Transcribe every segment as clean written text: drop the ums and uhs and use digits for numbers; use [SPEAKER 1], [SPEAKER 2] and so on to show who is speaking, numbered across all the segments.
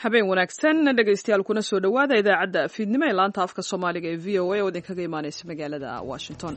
[SPEAKER 1] Habeen wanaagsan, dhegaystayaal, kuna soo dhowaada idaacadda fiidnimo ee laanta afka Soomaaliga ee VOA oo idinkaga imaanaysa magaalada Washington.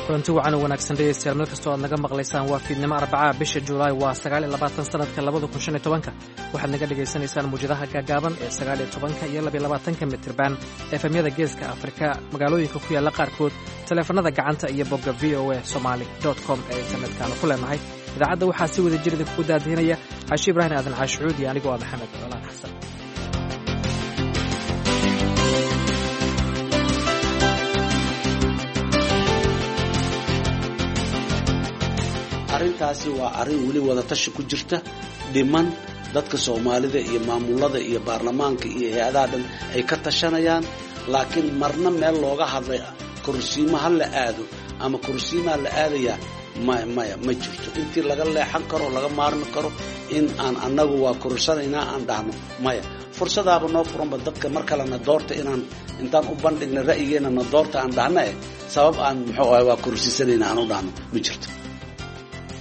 [SPEAKER 2] Kulanti wacan oo wanaagsan, dhegeystayaal, meel kastoo aad naga maqlaysaan. Waa fiidnimo Arbacaa, bisha Juulaay waa 29, sanadka 2015. Waxaad naga dhegaysanaysaan muwjadaha gaagaaban ee 19-ka iyo 22-ka mitirban, efemyada Geeska Afrika magaalooyinka ku yaalla qaarkood, taleefanada gacanta iyo bogga VOA Somali com ee internet-kaanu ku leenahay. Idaacadda waxaa si wada jir idinkugu daadihinaya Xaashi Ibraahim Aadan Caashucuud iyo anigoo ah Maxamed Colaan Xasan.
[SPEAKER 3] Arrintaasi waa arrin weli wadatashi ku jirta, dhiman dadka Soomaalida iyo maamulada iyo baarlamaanka iyo hay-adaha dhan ay ka tashanayaan, laakiin marna meel looga hadlay korsiimo ha la aado ama korsiimaa la aadayaa, maya, maya, ma jirto. Intii laga leexan karo, laga maarmi karo in aan annagu waa korsanaynaa aan dhahno, maya. Fursadaaba noo furanba dadka mar kalena doorta inaan intaan u bandhigna ra'yigeena na doorta aan dhahna, sabab aan muxuu ahay waa korsiisanayna aan u dhahno ma jirto.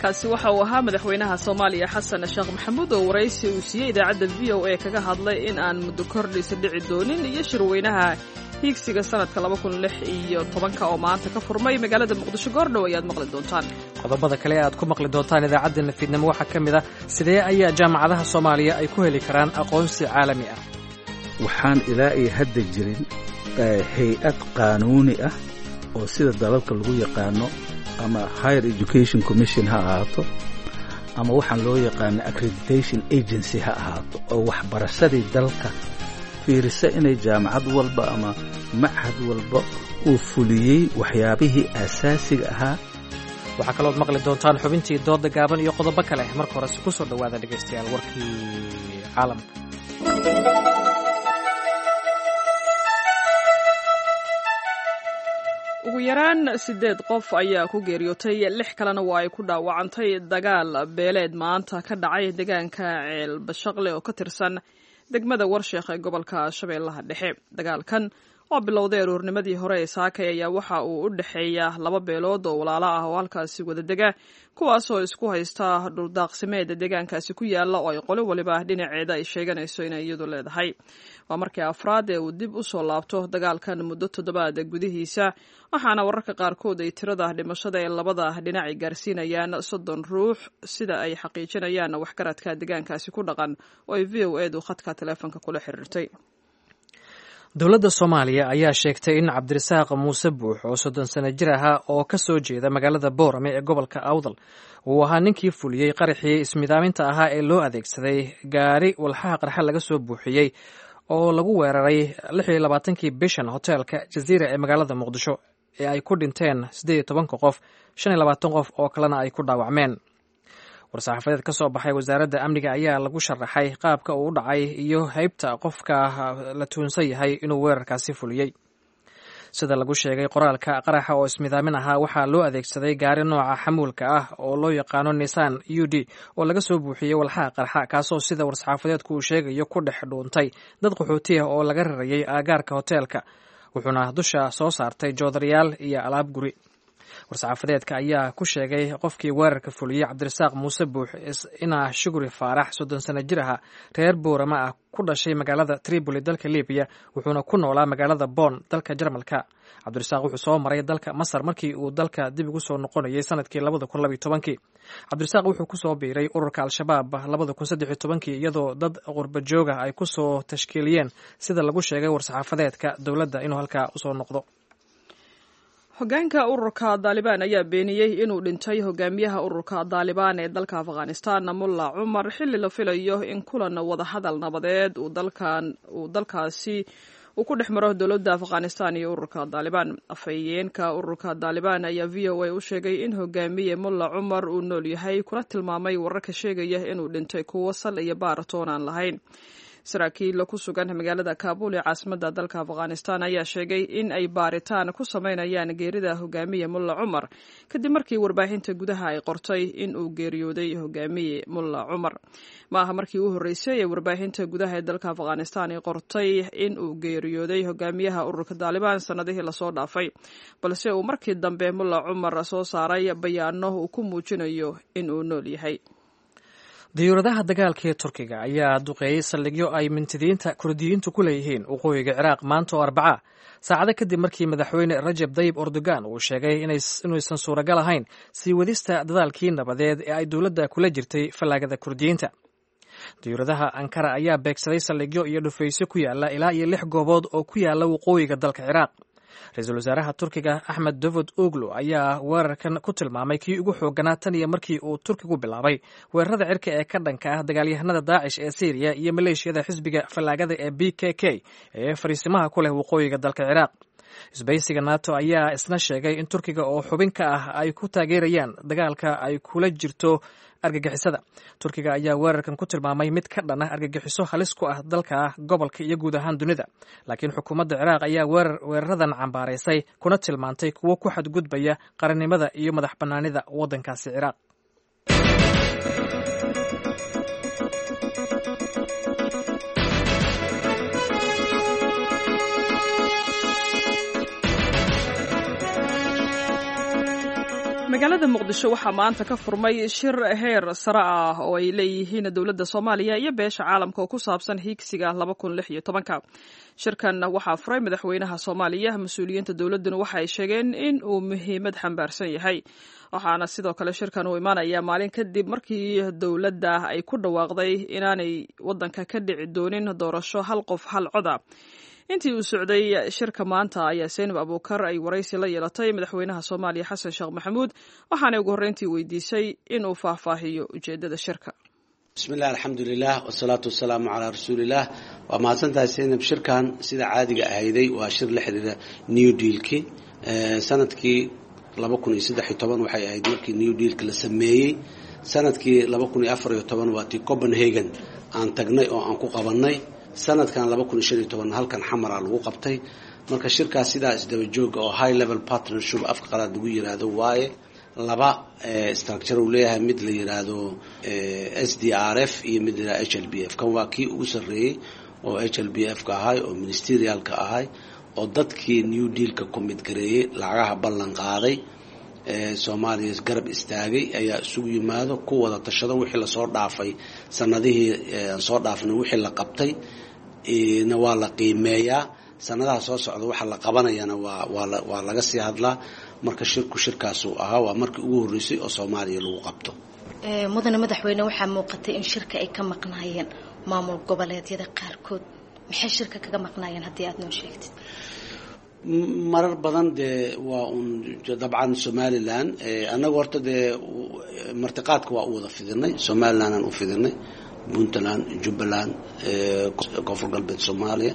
[SPEAKER 1] Kaasi waxa uu ahaa madaxweynaha Soomaaliya Xasan Sheekh Maxamuud oo waraysi uu siiyey idaacadda VOA kaga hadlay in aan muddo kordhiisa dhici doonin iyo shirweynaha hiigsiga sanadka 2016-ka oo maanta ka furmay magaalada Muqdisho. Goordhow ayaad maqli doontaan.
[SPEAKER 2] Qodobada kale aad ku maqli doontaan idaacaddeenna fiidnimo waxaa ka mid ah: sidee ayaa jaamacadaha Soomaaliya ay ku heli karaan aqoonsi caalami ah?
[SPEAKER 4] Waxaan ilaa iyo hadda jirin hay-ad qaanuuni ah oo sida dalalka lagu yaqaano, ama Higher Education Commission ha ahaato ama waxaan loo yaqaano accreditation agency ha ahaato, oo waxbarashadii dalka fiirisa inay jaamacad walba ama machad walba uu fuliyey waxyaabihii aasaasiga ahaa.
[SPEAKER 2] Waxaa kalood maqli doontaan xubintii dooda gaaban iyo qodobo kale. Marka horese ku soo dhowaada, dhegaystayaal, warkii caalamka.
[SPEAKER 1] Ugu yaraan siddeed qof ayaa ku geeriyootay, lix kalena waa ay ku dhaawacantay dagaal beeleed maanta ka dhacay deegaanka Ceelbashaqle oo ka tirsan degmada Warsheekh ee gobolka Shabeellaha Dhexe. Dagaalkan oo bilowday aroornimadii hore ee saakay ayaa waxa uu u dhexeeya laba beelood oo walaalo ah oo halkaasi wada dega, kuwaasoo isku haysta dhuldaaqsimeeda deegaankaasi ku yaala oo ay qolo waliba dhinaceeda ay sheeganayso inay iyadu leedahay. Waa markii afraad ee uu dib u soo laabto dagaalkan muddo toddobaad gudihiisa, waxaana wararka qaarkood ay tirada dhimashada ee labada dhinac ay gaarsiinayaan 30 ruux, sida ay xaqiijinayaan waxgaradka deegaankaasi ku dhaqan oo ay VOA-du khadka taleefonka kula xiriirtay.
[SPEAKER 2] Dowladda Soomaaliya ayaa sheegtay in Cabdirasaaq Muuse Buux oo 30 sano jir ahaa oo ka soo jeeda magaalada Boorame ee gobolka Awdal uu ahaa ninkii fuliyey qaraxii ismidaaminta ahaa ee loo adeegsaday gaari walxaha qarxa laga soo buuxiyey oo lagu weeraray 26-kii bishan hoteelka Jaziira ee magaalada Muqdisho ee ay ku dhinteen 18-ka qof, 25 qof oo kalena ay ku dhaawacmeen. War-saxaafadeed ka soo baxay wasaaradda amniga ayaa lagu sharaxay qaabka uu u dhacay iyo heybta qofka la tuunsan yahay inuu weerarkaasi fuliyey. Sida lagu sheegay qoraalka, qaraxa oo ismidaamin ahaa waxaa loo adeegsaday gaari nooca xamuulka ah oo loo yaqaano Nissan UD oo laga soo buuxiyey walxaha qarxa, kaasoo sida war-saxaafadeedku uu sheegayo ku dhex dhuuntay dad qaxooti ah oo laga rarayay aagaarka hoteelka, wuxuuna dusha soo saartay joodarayaal iyo alaab guri. War-saxaafadeedka ayaa ku sheegay qofkii weerarka fuliyey Cabdirasaaq Muuse Buux inaa Shuguri Faarax, 30 sano jir aha, reer Boorama ah, ku dhashay magaalada Tripoli dalka Libiya, wuxuuna ku noolaa magaalada Bonn dalka Jarmalka. Cabdirasaaq wuxuu soo maray dalka Masar markii uu dalka dib ugu soo noqonayay sanadkii 2012-kii. Cabdirasaaq wuxuu kusoo biiray ururka Al-Shabaab 2013-kii, iyadoo dad qurba jooga ay kusoo tashkiiliyeen, sida lagu sheegay war-saxaafadeedka dowladda, inuu halkaa usoo noqdo.
[SPEAKER 1] Hogaanka ururka Daalibaan ayaa beeniyey inuu dhintay hogaamiyaha ururka Daalibaan ee dalka Afghanistan, Mulla Cumar, xilli la filayo in kulan wadahadal nabadeed uu dalkaasi uu ku dhex maro dowladda Afghanistan iyo ururka Daalibaan. Afhayeenka ururka Daalibaan ayaa VOA u sheegay in hogaamiye Mulla Cumar uu nool yahay, kuna tilmaamay wararka sheegaya inuu dhintay kuwo sal iyo baaratoon aan lahayn. Saraakiil ku sugan magaalada Kaabul ee caasimadda dalka Afghanistan ayaa sheegay in ay baaritaan ku sameynayaan geerida hogaamiye Mulla Cumar kadib markii warbaahinta gudaha ay qortay in uu geeriyooday hogaamiye Mulla Cumar. Ma aha markii u horreysay ee warbaahinta gudaha ee dalka Afghanistan ay qortay in uu geeriyooday hogaamiyaha ururka Daalibaan sanadihii lasoo dhaafay, balse uu markii dambe Mulla Cumar soo saaray bayaano uu ku muujinayo in uu nool yahay.
[SPEAKER 2] Diyuuradaha dagaalka ee Turkiga ayaa duqeeyey saldhigyo ay mintidiinta Kurdiyiintu ku leeyihiin waqooyiga Ciraaq maanta oo Arbaca, saacado kadib markii madaxweyne Rajab Dayib Erdogan uu sheegay inuusan suuragal ahayn sii wadista dadaalkii nabadeed ee ay dowladda kula jirtay fallaagada Kurdiyiinta. Diyuuradaha Ankara ayaa beegsaday saldhigyo iyo dhufaysyo ku yaala ilaa iyo 6 goobood oo ku yaala waqooyiga dalka Ciraaq. Ra-iisul wasaaraha Turkiga Axmed Davud Oglo ayaa weerarkan ku tilmaamay kii ugu xooganaa tan iyo markii uu Turkigu bilaabay weerarada cirka ee ka dhanka ah dagaalyahanada Daacish ee Syriya iyo maleeshiyada xisbiga fallaagada ee BKK ee fariisimaha ku leh waqooyiga dalka Ciraaq. Isbaysiga NATO ayaa isna sheegay in Turkiga oo xubin ka ah ay ku taageerayaan dagaalka ay kula jirto argagixisada. Turkiga ayaa weerarkan ku tilmaamay mid ka dhan ah argagixiso halis ku ah dalka, gobolka iyo guud ahaan dunida, laakiin xukuumadda Ciraaq ayaa weeraradan cambaaraysay kuna tilmaantay kuwo ku xadgudbaya qarannimada iyo madax bannaanida waddankaasi Ciraaq.
[SPEAKER 1] Magaalada Muqdisho waxaa maanta ka furmay shir heer sare ah oo ay leeyihiin dowladda Soomaaliya iyo beesha caalamka oo ku saabsan hiigsiga 2016-ka. Shirkan waxaa furay madaxweynaha Soomaaliya. Mas-uuliyiinta dowladduna waxa ay sheegeen in uu muhiimad xambaarsan yahay, waxaana sidoo kale shirkan uu imaanayaa maalin kadib markii dowladda ay ku dhawaaqday inaanay waddanka ka dhici doonin doorasho hal qof hal coda. Intii uu socday shirka maanta ayaa Seynab Abuukar ay waraysi la yeelatay madaxweynaha Soomaaliya Xasan Sheekh Maxamuud, waxaanay ugu horreyntii weydiisay inuu faahfaahiyo ujeeddada shirka.
[SPEAKER 3] Bismillahi, alxamdulilah, wasalaatu wasalaamu calaa rasuulillaah. Waa mahadsantahay Seynab. Shirkan sida caadiga ahayday waa shir la xiriira New Dealki. Sanadkii 2013 waxay ahayd markii New Dealka la sameeyey. Sanadkii 2014 waa tii Copenhagen aan tagnay oo aan ku qabanay. Sanadkan 2015 halkan Xamara lagu qabtay. Marka shirkaas sidaa isdaba jooga oo high level partnership afka qalaad lagu yiraahdo waaye, laba structure uu leeyahay, mid la yiraahdo SDRF iyo mid la yiraahdo HLBF. Kan waa kii ugu sarreeyey oo HLBF ka ahay oo ministerialka ahay oo dadkii New Dealka commit gareeyey, lacagaha ballan qaaday, Soomaaliya garab istaagay ayaa isugu yimaado ku wada tashado wixii lasoo dhaafay sanadihii aan soo dhaafnay, wixii la qabtay na waa la qiimeeyaa, sanadaha soo socda waxa la qabanayana waa laga sii hadlaa. Marka shirku shirkaasuu ahaa, waa markii ugu horreysay oo Soomaaliya lagu qabto.
[SPEAKER 5] Mudane madaxweyne, waxaa muuqatay in shirka ay ka maqnaayeen maamul goboleedyada qaarkood. Maxay shirka kaga maqnaayeen haddii aada noo sheegtid?
[SPEAKER 3] Marar badan dee waa un dabcan Somalilan. Annagu horta dee martiqaadka waa u wada fidinay. Somaliland aan u fidinay, Puntland, Jubbaland, Koonfur Galbeed Soomaaliya,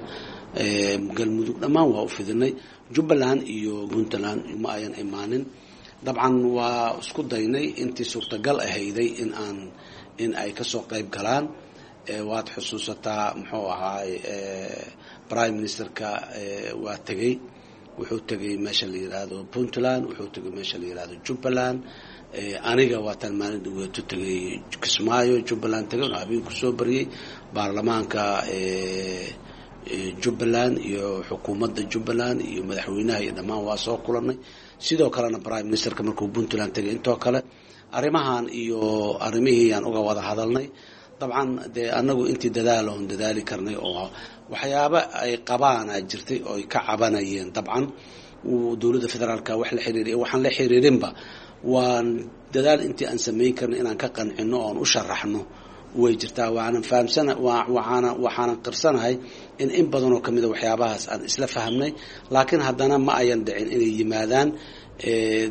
[SPEAKER 3] Galmudug, dhammaan waa u fidinay. Jubbaland iyo Puntland ma ayan imaanin. Dabcan waa isku daynay intii suurtagal ahayday in aan in ay kasoo qayb galaan. Waad xusuusataa, muxuu ahaay, prime ministerka waa tegey, wuxuu tegey meesha la yiraahdo Puntland, wuxuu tegey meesha la yiraahdo Jubbaland. Aniga waataan maalin dhaweeto tegey Kismaayo, Jubbaland tegay oo habeen kusoo bariyey baarlamaanka Jubbaland iyo xukuumadda Jubbaland iyo madaxweynaha iyo dhammaan waa soo kulanay. Sidoo kalena prime ministerka markuu Puntland tegay intoo kale arrimahan iyo arrimihii aan uga wada hadalnay. Dabcan dee annagu intii dadaal oon dadaali karnay oo waxyaaba ay qabaana jirtay oo ay ka cabanayeen, dabcan dowladda federaalka wax la xiriiriy, waxaan la xiriirinba, waan dadaal intii aan samayn karnay inaan ka qancino oon u sharaxno way jirtaa. Waanan fahamsana, waana waxaanan qirsanahay in badan oo kamida waxyaabahaas aan isla fahamnay, laakiin haddana ma ayan dhicin inay yimaadaan.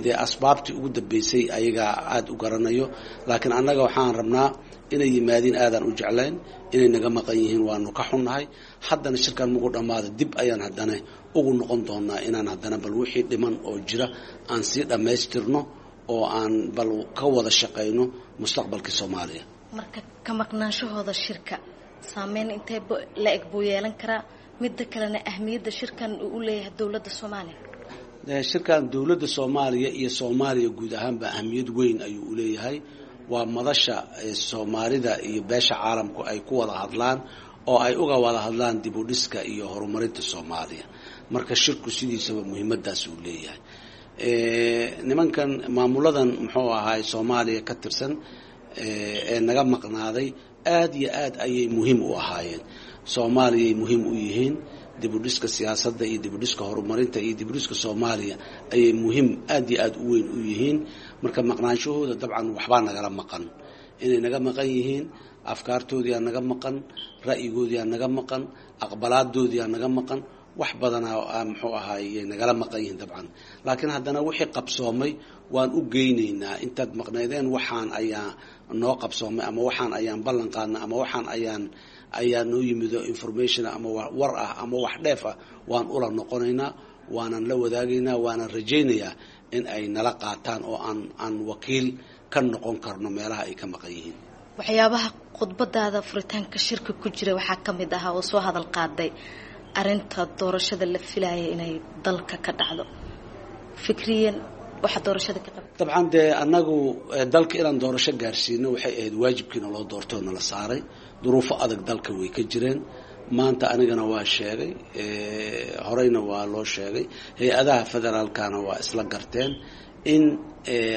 [SPEAKER 3] Dee asbaabtii ugu dambeysay ayagaa aada u garanayo, laakiin annaga waxaan rabnaa inay yimaadiin, aadaan u jeclayn. Inay naga maqan yihiin waanu ka xunnahay. Haddana shirkan mugu dhammaada dib ayaan haddana ugu noqon doonaa inaan haddana bal wixii dhiman oo jira aan sii dhammaystirno oo aan bal ka wada shaqayno mustaqbalkii Soomaaliya.
[SPEAKER 5] Marka ka maqnaanshahooda shirka Saameyn intee la eg buu yeelan karaa? Midda kalena ahmiyadda shirkan uu u leeyahay dowladda Soomaaliya.
[SPEAKER 3] Shirkan dowladda Soomaaliya iyo Soomaaliya guud ahaanba ahmiyad weyn ayuu uleeyahay. Waa madasha Soomaalida iyo beesha caalamku ay ku wada hadlaan oo ay uga wada hadlaan dib u dhiska iyo horumarinta Soomaaliya. Marka shirku sidiisaba muhiimadaas uu leeyahay. Nimankan maamuladan muxuu ahaay Soomaaliya ka tirsan ee naga maqnaaday aada iyo aad ayay muhiim u ahaayeen. Soomaaliyay muhiim u yihiin, dib u dhiska siyaasadda iyo dib u dhiska horumarinta iyo dib u dhiska Soomaaliya ayay muhiim aada iyo aada u weyn u yihiin. Marka maqnaanshahooda dabcan waxbaa nagala maqan, inay naga maqan yihiin, afkaartoodiyaa naga maqan, ra'yigoodiyaa naga maqan, aqbalaadoodiyaa naga maqan, wax badanaa muxuu ahaayey nagala maqan yihiin dabcan. Laakiin haddana wixii qabsoomay waan u geynaynaa. Intaad maqnaydeen waxaan ayaa noo qabsoomay, ama waxaan ayaan ballan qaadna, ama waxaan ayaa noo yimido information ama war ah ama wax dheef ah, waan ula noqonaynaa, waanan la wadaagaynaa, waanan rajaynayaa in ay nala qaataan oo aan wakiil ka noqon karno meelaha ay ka maqan yihiin.
[SPEAKER 5] Waxyaabaha khudbadaada furitaanka shirka ku jira waxaa ka mid ahaa oo soo hadal qaaday arrinta doorashada la filaaya inay dalka ka dhacdo. Fikriyan waxa doorashada ka qaba?
[SPEAKER 3] Dabcan dee annagu dalka inaan doorasho gaarsiino waxay ahayd waajibkiina loo doortay oo nala saaray. Duruufo adag dalka way ka jireen. Maanta anigana waa sheegay, horeyna waa loo sheegay, hay-adaha federaalkana waa isla garteen in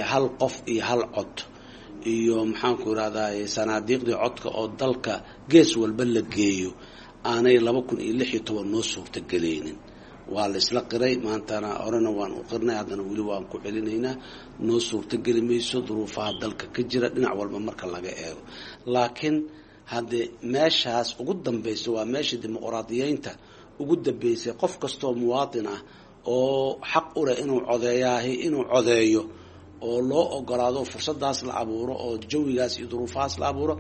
[SPEAKER 3] hal qof iyo hal cod iyo maxaanku irahdaay sanaadiiqdii codka oo dalka gees walba la geeyo aanay 2016 noo suurtagelaynin. Waa la isla qiray maantana, horena waan u qirnay, haddana weli waan ku celinaynaa. Noo suurtageli mayso duruufaha dalka ka jira dhinac walba marka laga eego. Laakiin haddee meeshaas ugu dambaysa waa meesha dimuqraadiyeynta ugu dambeysay. Qof kastoo muwaatin ah oo xaq u leh inuu codeeyaahi inuu codeeyo oo loo ogolaado, fursadaas la abuuro oo jawigaas iyo duruufahaas la abuuro,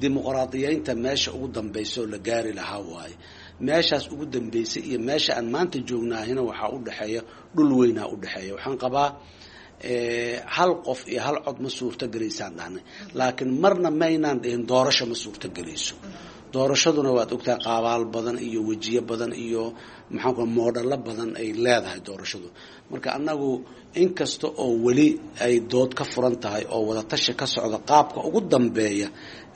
[SPEAKER 3] dimuqraadiyeynta meesha ugu dambaysa oo la gaari lahaa waaye. Meeshaas ugu dambeysay iyo meesha aan maanta joognaahina waxaa u dhexeeya dhul weynaa u dhexeeya. Waxaan qabaa hal qof iyo hal cod ma suurtogelaysaan dhahnay, laakiin marna maynaan dhihin doorasho ma suurtogelayso. Doorashaduna waad ogtahay qaabaal badan iyo wejiyo badan iyo maxaanku moodhalo badan ay leedahay doorashadu. Marka annagu inkasta oo weli ay dood ka furan tahay oo wadatashi ka socda qaabka ugu dambeeya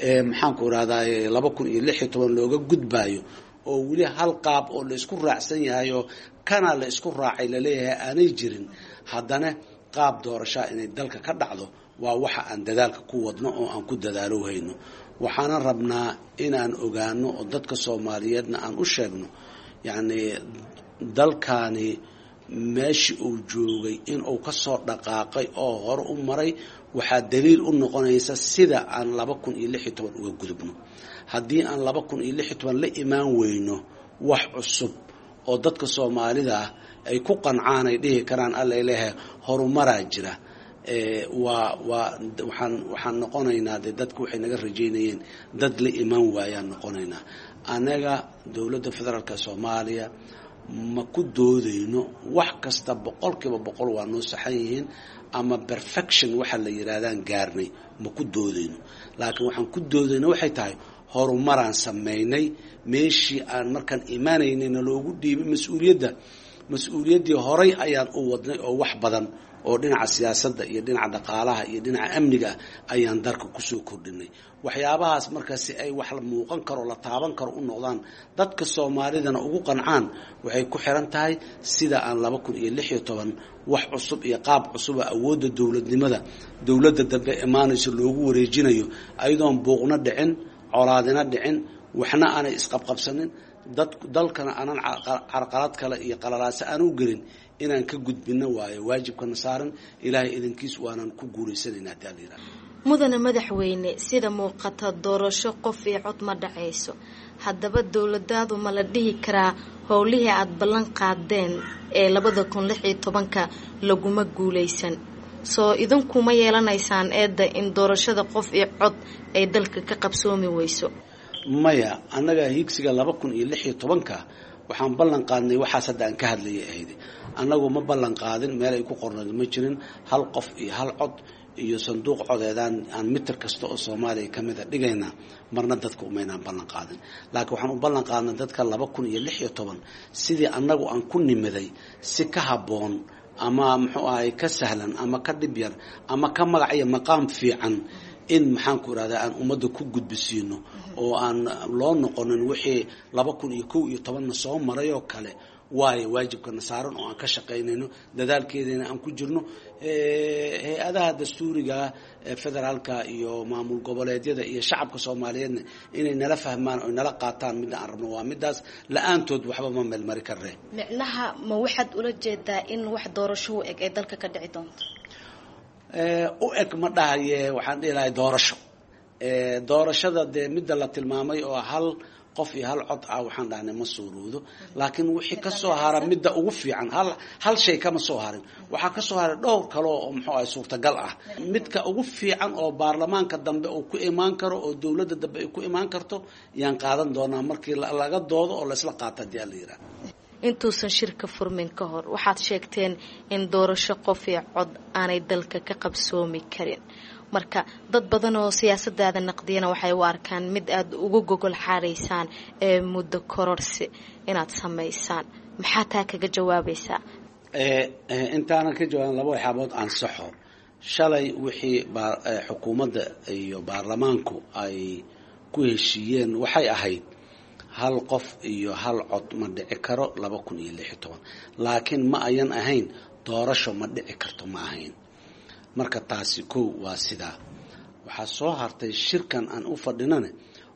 [SPEAKER 3] ee maxaanku irahdaye 2016 looga gudbayo, oo weli hal qaab oo la isku raacsan yahay oo kana la isku raacay laleeyahay aanay jirin, haddana qaab doorashaa inay dalka ka dhacdo waa waxa aan dadaalka ku wadno oo aan ku dadaalo hayno. Waxaana rabnaa inaan ogaano oo dadka Soomaaliyeedna aan u sheegno, yacni dalkaani meeshii uu joogay inuu ka soo dhaqaaqay oo hore u maray waxaa daliil u noqonaysa sida aan 2016 uga gudubno. Haddii aan 2016 la imaan weyno wax cusub oo dadka Soomaalida ah ay ku qancaan, ay dhihi karaan alla leeyahay horumaraa jira, waa waa waxaan noqonaynaa dee dadku waxay naga rajaynayeen dad la imaan waayaan noqonaynaa. Anaga dowladda federaalka Soomaaliya ma ku doodayno wax kasta 100% waa noo saxan yihiin ama perfection waxa la yidhaahdaan gaarnay, ma ku doodayno. Laakiin waxaan ku doodayno waxay tahay horumaraan sameynay. Meeshii aan markaan imaanaynayna loogu dhiibay mas-uuliyadda, mas-uuliyaddii horay ayaan u wadnay oo wax badan oo dhinaca siyaasadda iyo dhinaca dhaqaalaha iyo dhinaca amniga ayaan dalka kusoo kordhinay. Waxyaabahaas marka si ay wax la muuqan karo, la taaban karo u noqdaan, dadka Soomaalidana ugu qancaan, waxay ku xiran tahay sida aan 2016 wax cusub iyo qaab cusuba awoodda dowladnimada dowladda dambe imaanayso loogu wareejinayo, ayadoon buuqna dhicin, colaadina dhicin, waxna aanay isqabqabsanin, dad dalkana aanan carqalad kale iyo qalalaase aan u gelin, inaan ka gudbino waayo waajibkana saaran. Ilaahay idinkiis waanan ku guulaysanayna haddii alla yidhahdo.
[SPEAKER 5] Mudane madaxweyne, sida muuqata doorasho qof iyo cod ma dhacayso. Haddaba dowladaadu ma la dhihi karaa howlihii aada ballan qaadeen ee 2016-ka laguma guulaysan? Soo idinkuma yeelanaysaan eedda in doorashada qof iyo cod ay dalka ka qabsoomi weyso?
[SPEAKER 3] Maya, annaga hiigsiga 2016-ka waxaan ballan qaadnay waxaas hadda aan ka hadlayay ahayd. Annagu ma ballan qaadin, meel ay ku qornayd ma jirin hal qof iyo hal cod iyo sanduuq codeedaan aan mitir kasta oo Soomaaliya ka mid a dhigaynaa, marna dadka umaynaan ballan qaadin. Laakiin waxaan u ballan qaadnay dadka 2016 sidii annagu aan ku nimiday si ka habboon ama muxuu ahay ka sahlan ama ka dhib yar ama ka magac iyo maqaam fiican in maxaan ku irahdaa aan ummadda ku gudbisiino oo aan loo noqonin wixii 2011na soo maray oo kale. Waayo waajibkana saaran oo aan ka shaqaynayno dadaalkeedana aan ku jirno hay-adaha dastuuriga federaalka iyo maamul goboleedyada iyo shacabka Soomaaliyeedna inay nala fahmaan oo nala qaataan midda aan rabno waa midaas. La-aantood waxba ma meelmari karre.
[SPEAKER 5] Micnaha ma waxaad ula jeedaa in wax doorasho u eg ay dalka ka dhici doonto?
[SPEAKER 3] U eg ma dhahaye, waxaan dhihi lahay doorasho. Doorashada dee midda la tilmaamay oo hal qof iyo hal cod ah waxaan dhahnay ma suuroodo, laakiin wixii ka soo hara midda ugu fiican hal shay kama soo harin, waxaa ka soo haray dhowr kale oo muxuu ahay suurtagal ah. Midka ugu fiican oo baarlamaanka dambe uu ku imaan karo oo dowladda dambe ay ku imaan karto yaan qaadan doonaa markii laga doodo oo laysla qaato haddii ala yidhaha.
[SPEAKER 5] Intuusan shirka furmin ka hor waxaad sheegteen in doorasho qof iyo cod aanay dalka ka qabsoomi karin. Marka dad badan oo siyaasadaada naqdiyana waxay u arkaan mid aada ugu gogol xaaraysaan ee muddo kororsi inaad samaysaan. Maxaa taa kaga jawaabaysaa?
[SPEAKER 3] Intaanan ka jawaabin laba waxyaabood ansaxo. Shalay wixii xukuumadda iyo baarlamaanku ay ku heshiiyeen waxay ahayd hal qof iyo hal cod ma dhici karo 2016, laakiin ma ayan ahayn doorasho ma dhici karto, ma ahayn. Marka taasi kow waa sidaa. Waxaa soo hartay shirkan aan u fadhinane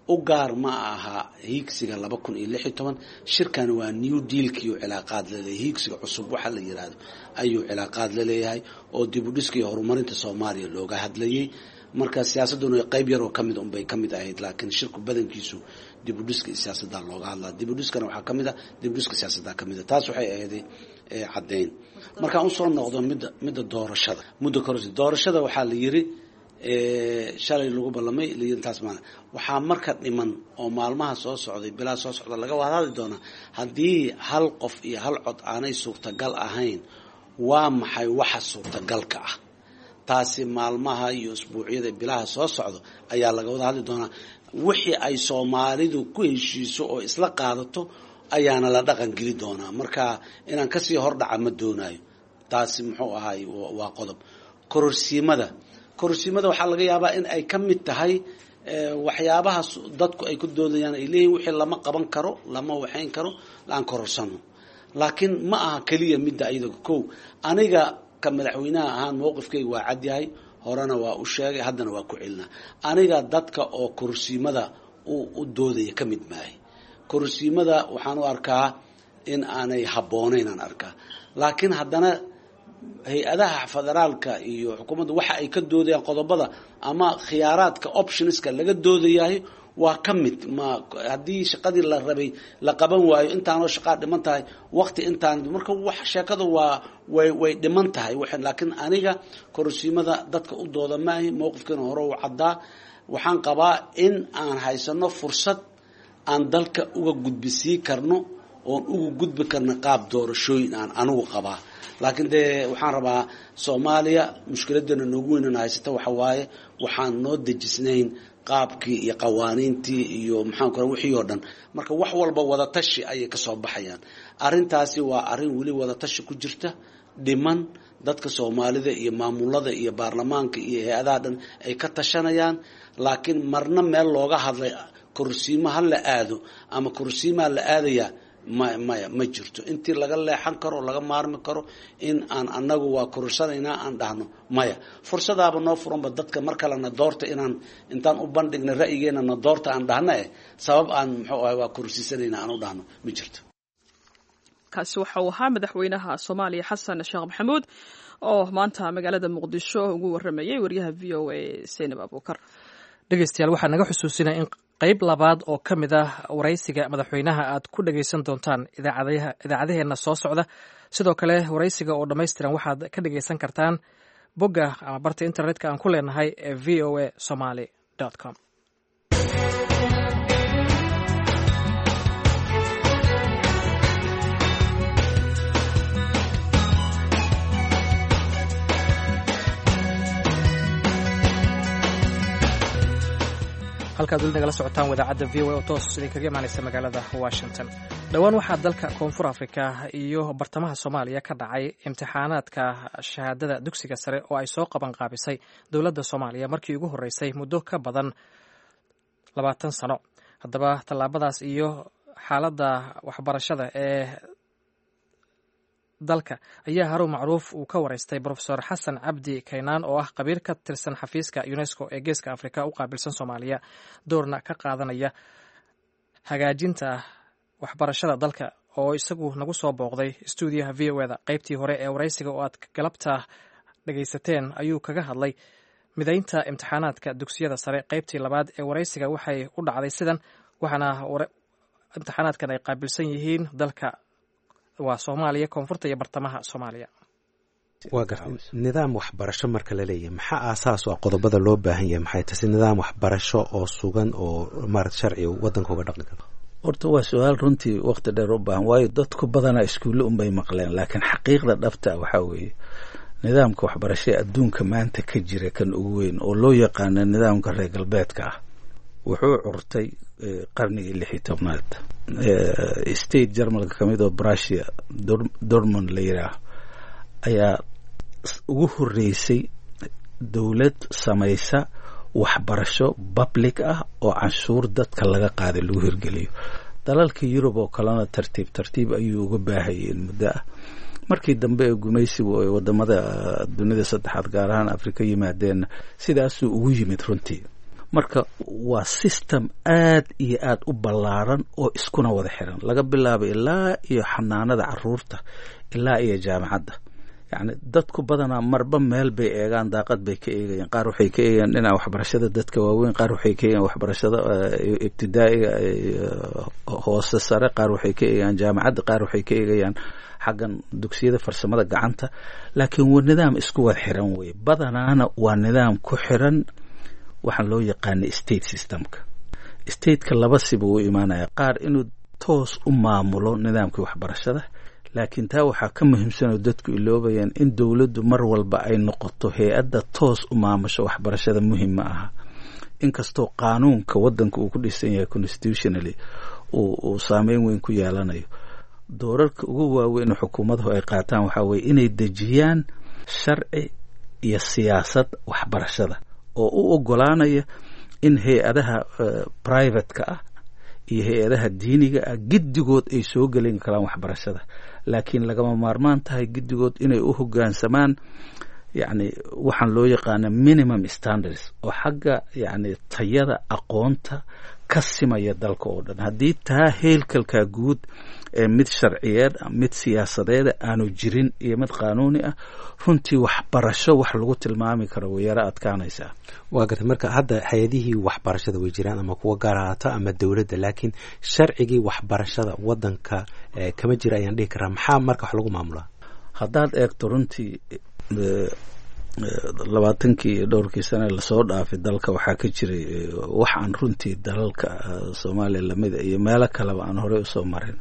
[SPEAKER 3] u gaar ma aha hiigsiga 2016. Shirkan waa new dealkiiu cilaaqaad laleeyahay, hiigsiga cusub waxa la yiraahdo ayuu cilaaqaad laleeyahay oo dib u dhiska iyo horumarinta Soomaaliya looga hadlayay. Marka siyaasadduna qayb yaroo kamid unbay ka mid ahayd, laakiin shirku badankiisu dib u dhiska iyo siyaasaddaa looga hadlaa. Dib u dhiskana waxaa kamid ah dib u dhiska siyaasaddaa kamid ah. Taas waxay ahayd caddeyn. Markaan usoo noqdo midda doorashada muddo kororsi doorashada waxaa la yiri shalay lagu ballamay layiri taas maana waxaa marka dhiman oo maalmaha soo socday bilaa soo socda laga wada hadli doonaa haddii hal qof iyo hal cod aanay suurtagal ahayn waa maxay waxa suurtagalka ah. Taasi maalmaha iyo isbuucyada bilaha soo socdo ayaa laga wada hadli doonaa. Wixii ay Soomaalidu ku heshiiso oo isla qaadato ayaana la dhaqan geli doonaa. Marka inaan kasii hordhaca ma doonayo. Taasi muxuu ahaay waa qodob. Kororsiimada waxaa laga yaabaa in ay ka mid tahay waxyaabaha dadku ay ku doodayaan ay leeyihin wixii lama qaban karo lama waxayn karo aan kororsano. Laakiin ma aha keliya midda iyada. Kow aniga ka madaxweynaha ahaan mowqifkayga waa cad yahay, horena waa u sheegay, haddana waa ku celinaa. Aniga dadka oo kororsiimada u doodaya ka mid maahay. Kororsiimada waxaan u arkaa in aanay habboonayn aan arkaa, laakiin haddana hay-adaha federaalka iyo xukuumadda waxa ay ka doodayaan qodobada ama khiyaaraadka optionska laga doodayahay waa ka mid. Ma haddii shaqadii la rabay la qaban waayo intaanoo shaqaa dhiman tahay waqti intaan marka wax sheekadu waa way dhiman tahay. Laakiin aniga kororsiimada dadka u dooda maahi, mowqifkiina hore u caddaa. Waxaan qabaa in aan haysano fursad aan dalka uga gudbisii karno oon uga gudbi karno qaab doorashooyin aan anigu qabaa. Laakiin dee waxaan rabaa Soomaaliya mushkiladana noogu weynana haysata waxa waaye waxaan noo dejisnayn qaabkii iyo qawaaniintii iyo maxaan kora wixii oo dhan. Marka wax walba wadatashi ayay kasoo baxayaan. Arrintaasi waa arrin weli wadatashi ku jirta dhiman, dadka Soomaalida iyo maamulada iyo baarlamaanka iyo hay-adaha dhan ay ka tashanayaan. Laakiin marna meel looga hadlay kororsiimo ha la aado ama kororsiimaa la aadayaa maya ma jirto. Intii laga leexan karo oo laga maarmi karo in aan anagu waa kororsanaynaa aan dhahno maya. Fursadaaba noo furanba dadka mar kalena doorta inaan intaan u bandhigna ra'yigeena na doorta aan dhahna sabab aan muxuu ahay waa kororsiisanayna aan u dhahno ma jirto.
[SPEAKER 1] Kaasi waxa uu ahaa madaxweynaha Soomaaliya Xasan Sheekh Maxamuud oo maanta magaalada Muqdisho ugu waramayay wariyaha VOA Zaynab Abuukar.
[SPEAKER 2] Dhegeystayaal, waxaa naga xusuusinaya in qayb labaad oo ka mid ah waraysiga madaxweynaha aad ku dhegaysan doontaan idaacadaheenna soo socda. Sidoo kale waraysiga oo dhammaystiran waxaad ka dhegaysan kartaan bogga ama barta internetka aan ku leenahay ee v o a somaly com. Halkaad weli nagala socotaan wadaacadda VOA oo toos idinkaga imaanaysa magaalada Washington. Dhowaan waxaa dalka Koonfur Afrika iyo bartamaha Soomaaliya ka dhacay imtixaanaadka shahaadada dugsiga sare oo ay soo qaban qaabisay dowladda Soomaaliya markii ugu horreysay muddo ka badan 20 sano. Haddaba tallaabadaas iyo xaaladda waxbarashada ee dalka ayaa Haruun Macruuf uu ka waraystay Brofesor Xasan Cabdi Kaynaan, oo ah khabiir ka tirsan xafiiska UNESCO ee Geeska Afrika u qaabilsan Soomaaliya, doorna ka qaadanaya hagaajinta waxbarashada dalka, oo isagu nagu soo booqday stuudiyaha VOA-da. Qaybtii hore ee waraysiga oo aad galabta dhagaysateen ayuu kaga hadlay midaynta imtixaanaadka dugsiyada sare. Qaybtii labaad ee waraysiga waxay u dhacday sidan, waxaana imtixaanaadkan ay qaabilsan yihiin dalka waa Soomaaliya, koonfurta iyo bartamaha Soomaaliya.
[SPEAKER 6] Waa gartay. Nidaam waxbarasho marka la leeyahay, maxaa aasaas u ah? Qodobada loo baahan yahay maxay tahay si nidaam waxbarasho oo sugan oo maarata sharci waddanka uga dhaqmi karo?
[SPEAKER 4] Horta waa su-aal runtii waqti dheer u baahan, waayo dadku badanaa iskuulle unbay maqleen, laakiin xaqiiqda dhabta waxaa weeye nidaamka waxbarashada adduunka maanta ka jira, kan ugu weyn oo loo yaqaano nidaamka reer galbeedka ah, wuxuu curtay qarnigii 16aad. State Jarmalka kamid oo Brusia Dortmund la yidhaah ayaa ugu horeysay dowlad samaysa waxbarasho public ah oo canshuur dadka laga qaaday lagu hirgeliyo. Dalalka Yurub oo kalena tartiib tartiib ayuu uga baahayeen muddo ah. Markii dambe ee gumaysigu ay wadamada dunida saddexaad, gaar ahaan Afrika, yimaadeenna, sidaasuu ugu yimid runtii. Marka waa system aad iyo aad u ballaaran oo iskuna wada xiran, laga bilaabo ilaa iyo xanaanada caruurta ilaa iyo jaamacadda. Yacni dadku badanaa marba meel bay eegaan, daaqad bay ka eegayaan. Qaar waxay ka eegayaan dhinaca waxbarashada dadka waaweyn, qaar waxay ka eegayaan waxbarashada ibtidaa'iga hoose sare, qaar waxay ka eegayaan jaamacadda, qaar waxay ka eegayaan xaggan dugsiyada farsamada gacanta, laakiin waa nidaam isku wada xiran weye. Badanaana waa nidaam ku xiran waxaan loo yaqaana state systemka. Stateka laba siba u imaanaya: qaar inuu toos u maamulo nidaamkii waxbarashada, laakiin taa waxaa ka muhiimsan oo dadku iloobayaan in dowladdu mar walba ay noqoto hay-adda toos u maamusho waxbarashada muhim ma aha, inkastoo qaanuunka waddanka uu ku dhisan yahay constitutionally uu saameyn weyn ku yeelanayo. Doorarka ugu waaweyn oo xukuumaduhu ay qaataan waxaa weye inay dejiyaan sharci iyo siyaasad waxbarashada oo u ogolaanaya in hay-adaha privateka ah iyo hay-adaha diiniga ah giddigood ay soo gelin karaan waxbarashada, laakiin lagama maarmaan tahay giddigood inay u hoggaansamaan yacni waxaan loo yaqaana minimum standards oo xagga yacni tayada aqoonta ka simaya dalka oo dhan. Haddii taa heelkalkaa guud ee mid sharciyeed, mid siyaasadeeda aanu jirin iyo mid qaanuuni ah, runtii waxbarasho wax lagu tilmaami karo way yaro adkaanaysaa.
[SPEAKER 6] Waa gartay. Marka hadda hay-adihii waxbarashada way jiraan, ama kuwa gaar ahaato ama dowladda, laakiin sharcigii waxbarashada waddanka kama jira ayaan dhihi karaa. Maxaa marka wax lagu maamulaa?
[SPEAKER 4] Haddaad eegto runtii 20kii iyo dhowrkii sane lasoo dhaafay, dalka waxaa ka jiray wax aan runtii dalalka Soomaaliya lamida iyo meelo kaleba aan horey usoo marin,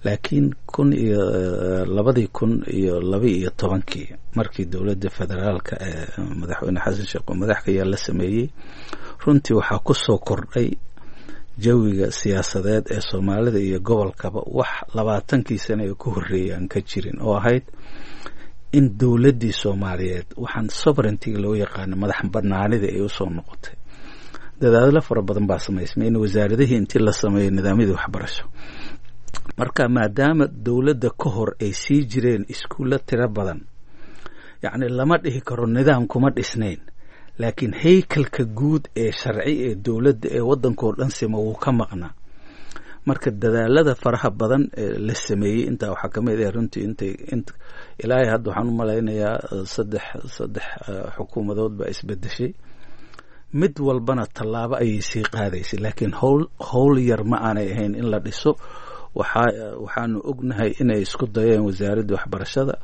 [SPEAKER 4] laakiin kun iyo 2012kii markii dowladda federaalka ee madaxweyne Xasan Sheekh oo madax ka yaa la sameeyey, runtii waxaa kusoo kordhay jawiga siyaasadeed ee Soomaalida iyo gobolkaba wax 20kii sane ee ku horreeyay aan ka jirin, oo ahayd in dowladdii Soomaaliyeed waxaan sovereigntyga loo yaqaano, madax banaanida, ay usoo noqotay. Dadaalo fara badan baa samaysmay in wasaaradihii intii la sameeyo nidaamyadii waxbarasho. Marka maadaama dowladda ka hor ay sii jireen iskuullo tiro badan, yacni lama dhihi karo nidaam kuma dhisnayn, laakiin haykalka guud ee sharci ee dowladda ee waddankao dhan sima wuu ka maqnaa. Marka dadaalada faraha badan ee la sameeyey intaa waxaa kamid ah runtii intay int ilaahay hadda waxaan u malaynayaa saddex xukuumadood baa isbedeshay, mid walbana tallaabo ayay sii qaadaysay, laakiin howl yar ma aanay ahayn in la dhiso. Waxaanu ognahay inay isku dayeen wasaaradda waxbarashada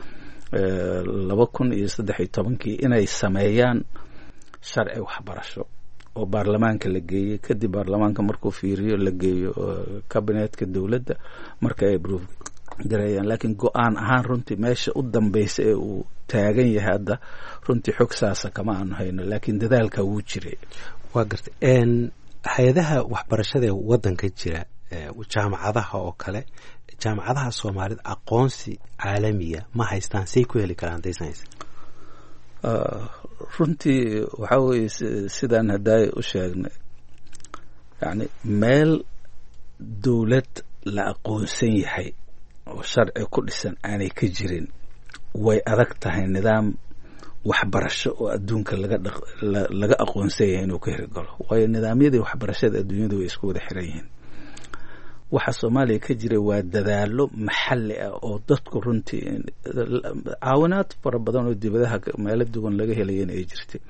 [SPEAKER 4] 2013kii inay sameeyaan sharci waxbarasho oo baarlamaanka la geeyey. Kadib baarlamaanka markuu fiiriyo, la geeyo kabinetka dowladda, marka ay approve gareeyaan. Laakiin go-aan ahaan runtii meesha u dambeysa ee uu taagan yahay hadda runtii xog saasa kama aanu hayno, laakiin dadaalka wuu jiray.
[SPEAKER 6] Waa gartay. Hay-adaha waxbarashada ee waddanka jira, jaamacadaha oo kale, jaamacadaha soomaalida aqoonsi caalamiya ma haystaan? Say ku heli karaan haddaysan haysan?
[SPEAKER 4] Runtii waxaa weeye, sidaan haddaay u sheegnay, yacni meel dowlad la aqoonsan yahay oo sharci ku dhisan aanay ka jirin, way adag tahay nidaam waxbarasho oo adduunka laga aqoonsan yahay inuu ka hirgalo, waayo nidaamyadii waxbarashada adduunyadu way isku wada xiran yihiin. Waxa Soomaaliya ka jira waa dadaalo maxalli ah oo dadku runtii caawinaad fara badan oo dibadaha meelo duwan laga helayana ay jirtay,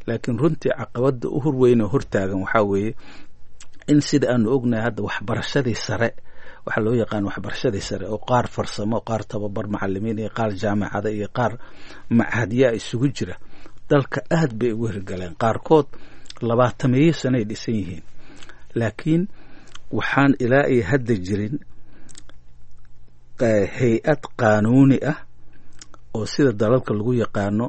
[SPEAKER 4] laakiin runtii caqabada u horweyn oo hortaagan waxaa weeye in sida aanu ognahay hadda waxbarashadii sare, waxaa loo yaqaan waxbarashadii sare oo qaar farsamo, qaar tababar macalimiin iyo qaar jaamacada iyo qaar machadyaa isugu jira, dalka aad bay ugu hirgaleen, qaarkood 20-meeyo sanoay dhisan yihiin, laakiin waxaan ilaa iyo hadda jirin hay-ad qaanuuni ah oo sida dalalka lagu yaqaano,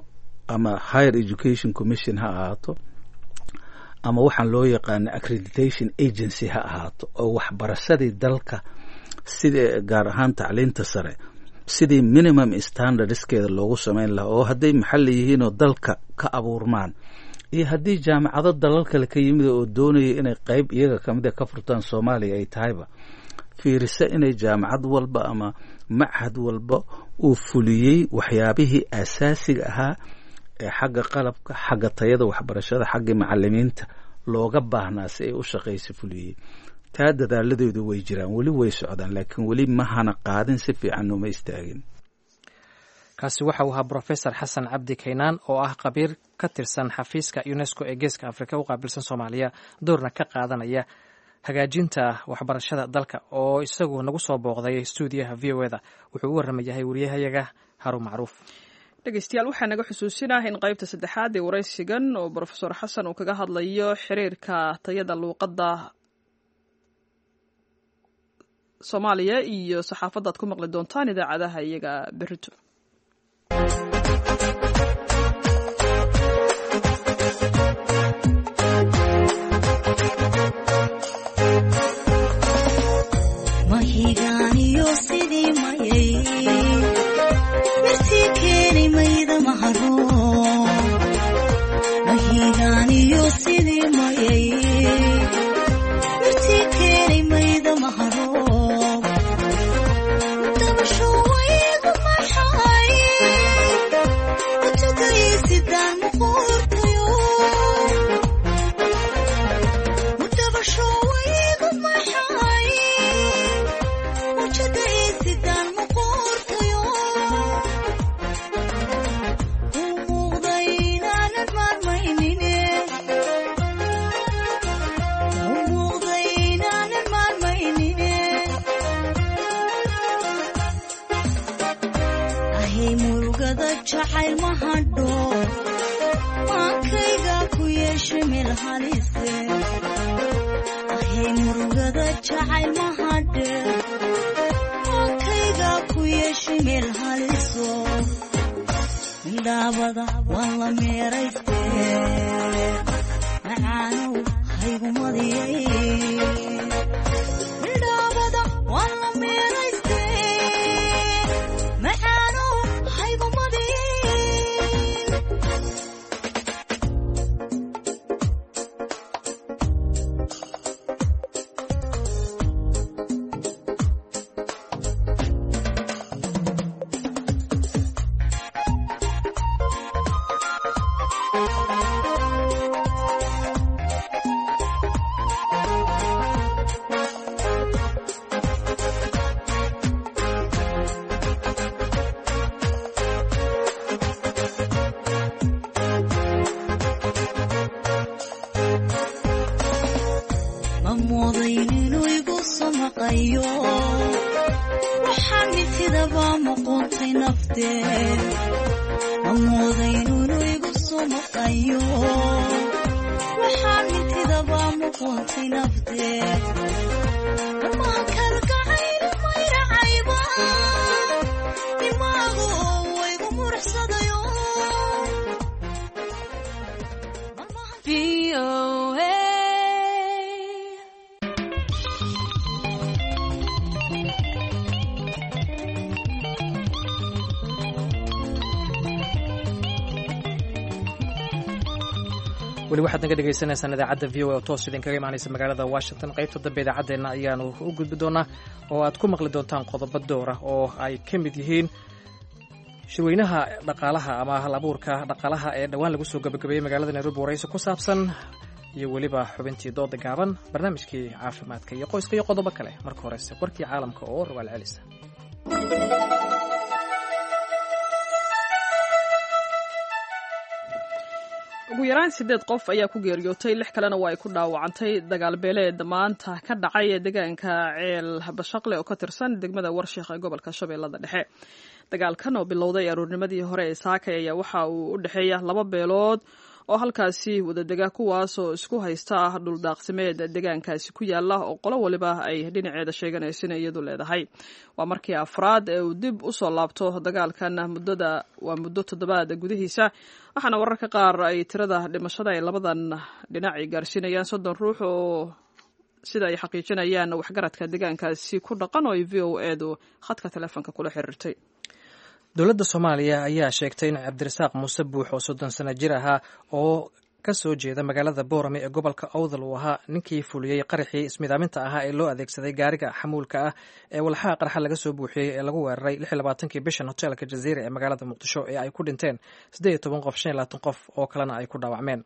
[SPEAKER 4] ama Higher Education Commission ha ahaato ama waxaan loo yaqaano accreditation agency ha ahaato, oo waxbarashadii dalka sida gaar ahaan tacliinta sare sidii minimum standardskeeda loogu samayn lahaa, oo hadday maxalli yihiinoo dalka ka abuurmaan iyo haddii jaamacado dalal kale ka yimid oo doonaya inay qayb iyaga kamida ka furtaan Soomaaliya ay tahayba, fiirisa inay jaamacad walba ama machad walba uu fuliyey waxyaabihii asaasiga ahaa ee xagga qalabka, xagga tayada waxbarashada, xaggii macalimiinta looga baahnaa si ay u shaqaysa fuliyey. Taa dadaaladeedu way jiraan, weli way socdaan, laakiin weli ma hana qaadin, si fiican uma istaagin.
[SPEAKER 2] Kaasi waxa uu ahaa Brofesor Xasan Cabdi Kaynaan oo ah khabiir ka tirsan xafiiska UNESCO ee Geeska Afrika u qaabilsan Soomaaliya, doorna ka qaadanaya hagaajinta waxbarashada dalka, oo isagu nagu soo booqday stuudiyaha VOA da. Wuxuu u warramayahay wariyahayaga Haruun Macruuf.
[SPEAKER 1] Dhegeystayaal, waxaa naga xusuusinah in qaybta saddexaad ee waraysigan oo Brofesor Xasan uu kaga hadlayo xiriirka tayada luuqadda Soomaaliya iyo saxaafadda aad ku maqli doontaan idaacadaha iyaga berrito.
[SPEAKER 7] Mahigaaniyo sidii mayay mirtii keeni mayda maharo, mahigaaniyo sidii mayay mirtii keeni mayda maharo, dabasho waygu maxay utugaysidaan muquurtayo, dabasho waygu maxay ujadaysidaan muquurtayo, u muuqday inaanan maarmaynine, u muuqday inaanan maarmaynine. Ahay murugada jacayl ma hadho, maankayga ku yeeshe meel halise. Ahay murugada jacayl ma hadhe, maankayga ku yeeshe meel haliso, mindhaabada waan la meerayste, macaanow haygumadiyay, mindhaabada waan la meerayste, macaanow haygumadiyay. Ma moodayn inuu igu soo maqayo, waxaan mintidaba muquuntay naftee. Ma moodayn inuu igu soo maqayo, waxaan mintidaba muquuntay naftee. Dhammaan kalgacayl mayracayba
[SPEAKER 2] Weli waxaad naga dhegaysanaysaan idaacadda VOA oo toos idinkaga imaanaysa magaalada Washington. Qaybta dambe idaacaddeenna ayaanu u gudbi doonaa oo aad ku maqli doontaan qodobo door ah oo ay ka mid yihiin shirweynaha dhaqaalaha ama hal abuurka dhaqaalaha ee dhowaan lagu soo gabagabeeyey magaalada Nairobi, waraysi ku saabsan, iyo weliba xubintii dooda gaaban, barnaamijkii caafimaadka iyo qoyska iyo qodobo kale. Marka horese warkii caalamka oo rogaal celisa.
[SPEAKER 1] Ugu yaraan sideed qof ayaa ku geeriyootay, lix kalena waa ay ku dhaawacantay dagaal beeleed maanta ka dhacay deegaanka Ceel Bashaqle oo ka tirsan degmada Warshiikh ee gobolka Shabeellada Dhexe. Dagaalkan oo bilowday aroornimadii hore ee saakay ayaa waxa uu u dhexeeya laba beelood oo halkaasi wadadega, kuwaas oo isku haysta ah dhuldaaqsimeed deegaankaasi ku yaala oo qolo waliba ay dhinaceeda sheeganayso inay iyadu leedahay. Waa markii afraad ee uu dib usoo laabto dagaalkan muddada waa muddo toddobaad gudihiisa, waxaana wararka qaar ay tirada dhimashada ay labadan dhinac ay gaarsiinayaan 30 ruux, oo sida ay xaqiijinayaan waxgaradka deegaankaasi ku dhaqan oo ay VOA-du khadka telefoonka kula xiriirtay.
[SPEAKER 2] Dowladda Soomaaliya ayaa sheegtay in Cabdirasaaq Muuse Buux oo 30 sano jir ahaa oo ka soo jeeda magaalada Boorame ee gobolka Awdal uu ahaa ninkii fuliyey qaraxii ismidaaminta ahaa ee loo adeegsaday gaariga xamuulka ah ee walxaha qarxa laga soo buuxiyey ee lagu weeraray kii bishan hoteelka Jaziira ee magaalada Muqdisho ee ay ku dhinteen 18 qof, 25 qof oo kalena ay ku dhaawacmeen.